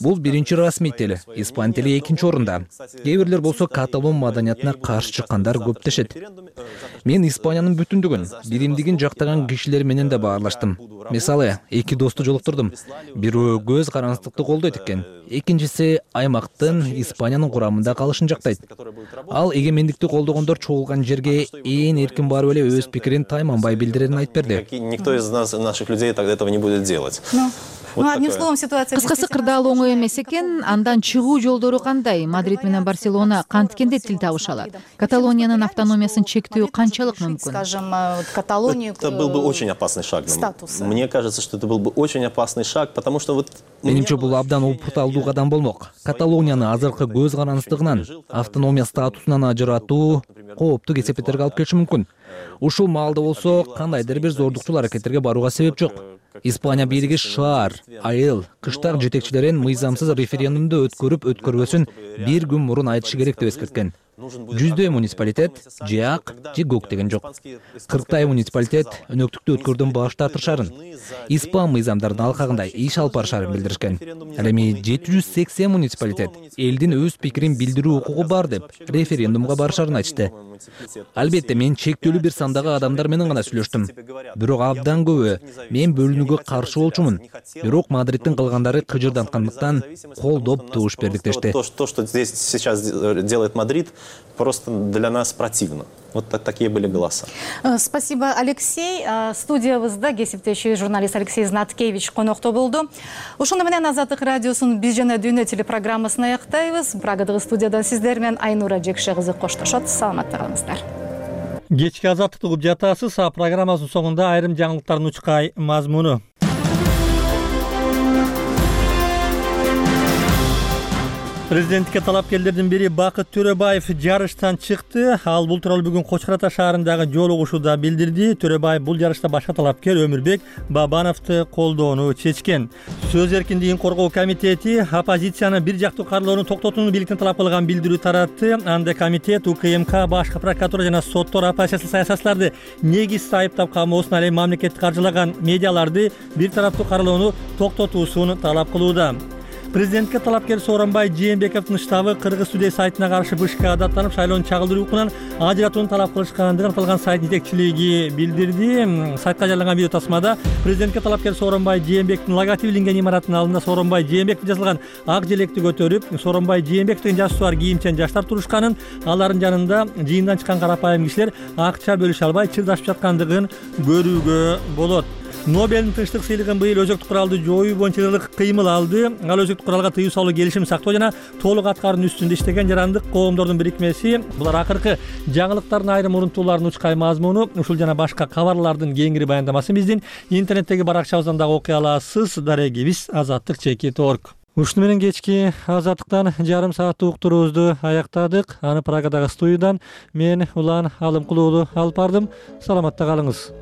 Speaker 9: Бул биринчи расмий тил, испан тили экинчи орунда. Кээ бирлер болсо Каталон маданиятына каршы чыккандар көп дешет. Мен Испаниянын бүтүндүгүн, биримдигин жактаган кишилер менен да баарлаштым. Мисалы, эки досту жолуктурдум. Бирөө көз караңсыздыкты колдойт экен, экинчиси аймактын Испаниянын курамында калышын жактайт. Ал эгемендикти колдогондор чогулган жерге ээн эркин барып эле өз пикирин тайманбай билдирерин айтып берди.
Speaker 13: Никто из нас, наших людей, тогда этого не будет делать.
Speaker 7: Ну, одним словом, ситуация...
Speaker 2: Кыскасы, кырдаал оңой эмес экен. Андан чыгуу жолдору кандай? Мадрид менен Барселона канткенде тил табыша алат? Каталониянын автономиясын чектөө канчалык мүмкүн?
Speaker 7: Скажем, Каталонию...
Speaker 13: Это был бы очень опасный шаг. Мне кажется, что это был бы очень опасный шаг, потому что вот...
Speaker 9: Менимче, бул абдан опурталдуу кадам болмок. Каталонияны азыркы көз карансыздыгынан, автономия статусунан ажыратуу кооптуу кесепеттерге алып келиши мүмкүн. Ушул маалда болсо кандайдыр бир зордукчул аракеттерге барууга себеп жок. Испания бийлиги шаар, айыл, кыштак жетекчилерин мыйзамсыз референдумду өткөрүп өткөрбөсүн бир күн мурун айтышы керек деп эскерткен. Жүздөй муниципалитет же ак, же көк деген жок. Кырктай муниципалитет өнөктүктү өткөрүүдөн баш тартышарын, испан мыйзамдарынын алкагында иш алып барышарын билдиришкен. Ал эми жети жүз сексен муниципалитет элдин өз пикирин билдирүү укугу бар деп референдумга барышарын айтышты. Албетте, мен чектөлүү бир сандагы адамдар менен гана сүйлөштүм. Бирок абдан көбү мен бөлүнүүгө каршы болчумун. Бирок Мадридтин кылгандары кыжырданткандыктан колдоп добуш бердик дешти.
Speaker 13: То, что здесь сейчас делает Мадрид, просто для нас противно. Вот так, такие были голоса.
Speaker 7: Спасибо, Алексей. Студиябызда кесиптеши журналист Алексей Знаткевич конокто болду. Ошондо менен Азаттык радиосунун Биз жана дүйнө телепрограммасын аяктайбыз. Прагадагы студиядан сиздер менен Айнура Жекше кызы коштошот. Саламатта калыңыздар.
Speaker 1: Кечки Азаттыкты угуп жатасыз. Программасынын соңунда айрым жаңылыктардын учкай мазмуну. Президенттикке талапкерлердин бири Бакыт Төрөбаев жарыштан чыкты. Ал бул тууралуу бүгүн Кочкор Ата шаарындагы жолугушууда билдирди. Төрөбаев бул жарышта башка талапкер Өмүрбек Бабановду колдоону чечкен. Сөз эркиндигин коргоо комитети оппозицияны бир жактуу каралоону токтотууну бийликтен талап кылган билдирүү таратты. Анда комитет УКМК, башкы прокуратура жана соттор оппозициялык саясатчыларды негизсиз айыптап камоосуна, ал эми мамлекетти каржылаган медиаларды бир тараптуу каралоону токтотуусун талап кылууда. Президентке талапкер Сооронбай Жээнбековдун штабы Кыргыз Today сайтына каршы БШК даттанып, шайлоонун чагылдыруу укугунан ажыратууну талап кылышкандыгын аталган сайт жетекчилиги билдирди. Сайтка жарыяланган видео тасмада президентке талапкер Сооронбай Жээнбековдун логотиби илинген имараттын алдында Сооронбай Жээнбеков жазылган ак желекти көтөрүп, Сооронбай Жээнбеков деген жасы бар кийимчен жаштар турушканын, алардын жанында жыйындан чыккан карапайым кишилер акча бөлүшө албай чырдашып жаткандыгын көрүүгө болот. Нобелдин тынчтык сыйлыгын быйыл өзөктүк куралды жоюу боюнча ылык кыймыл алды. Ал өзөктүк куралга тыюу салуу, келишим сактоо жана толук аткаруунун үстүндө иштеген жарандык коомдордун бирикмеси. Булар акыркы жаңылыктардын айрым урунтууларынын учкай мазмуну, ушул жана башка кабарлардын кеңири баяндамасын биздин интернеттеги баракчабыздан дагы окуй аласыз. Дарегибиз азаттык чекит точка орг. Ушуну менен кечки азаттыктан жарым сааттык уктуруубузду аяктадык. Аны Прагадагы студиядан мен Улан Алымкулуулу алып бардым. Саламатта калыңыз.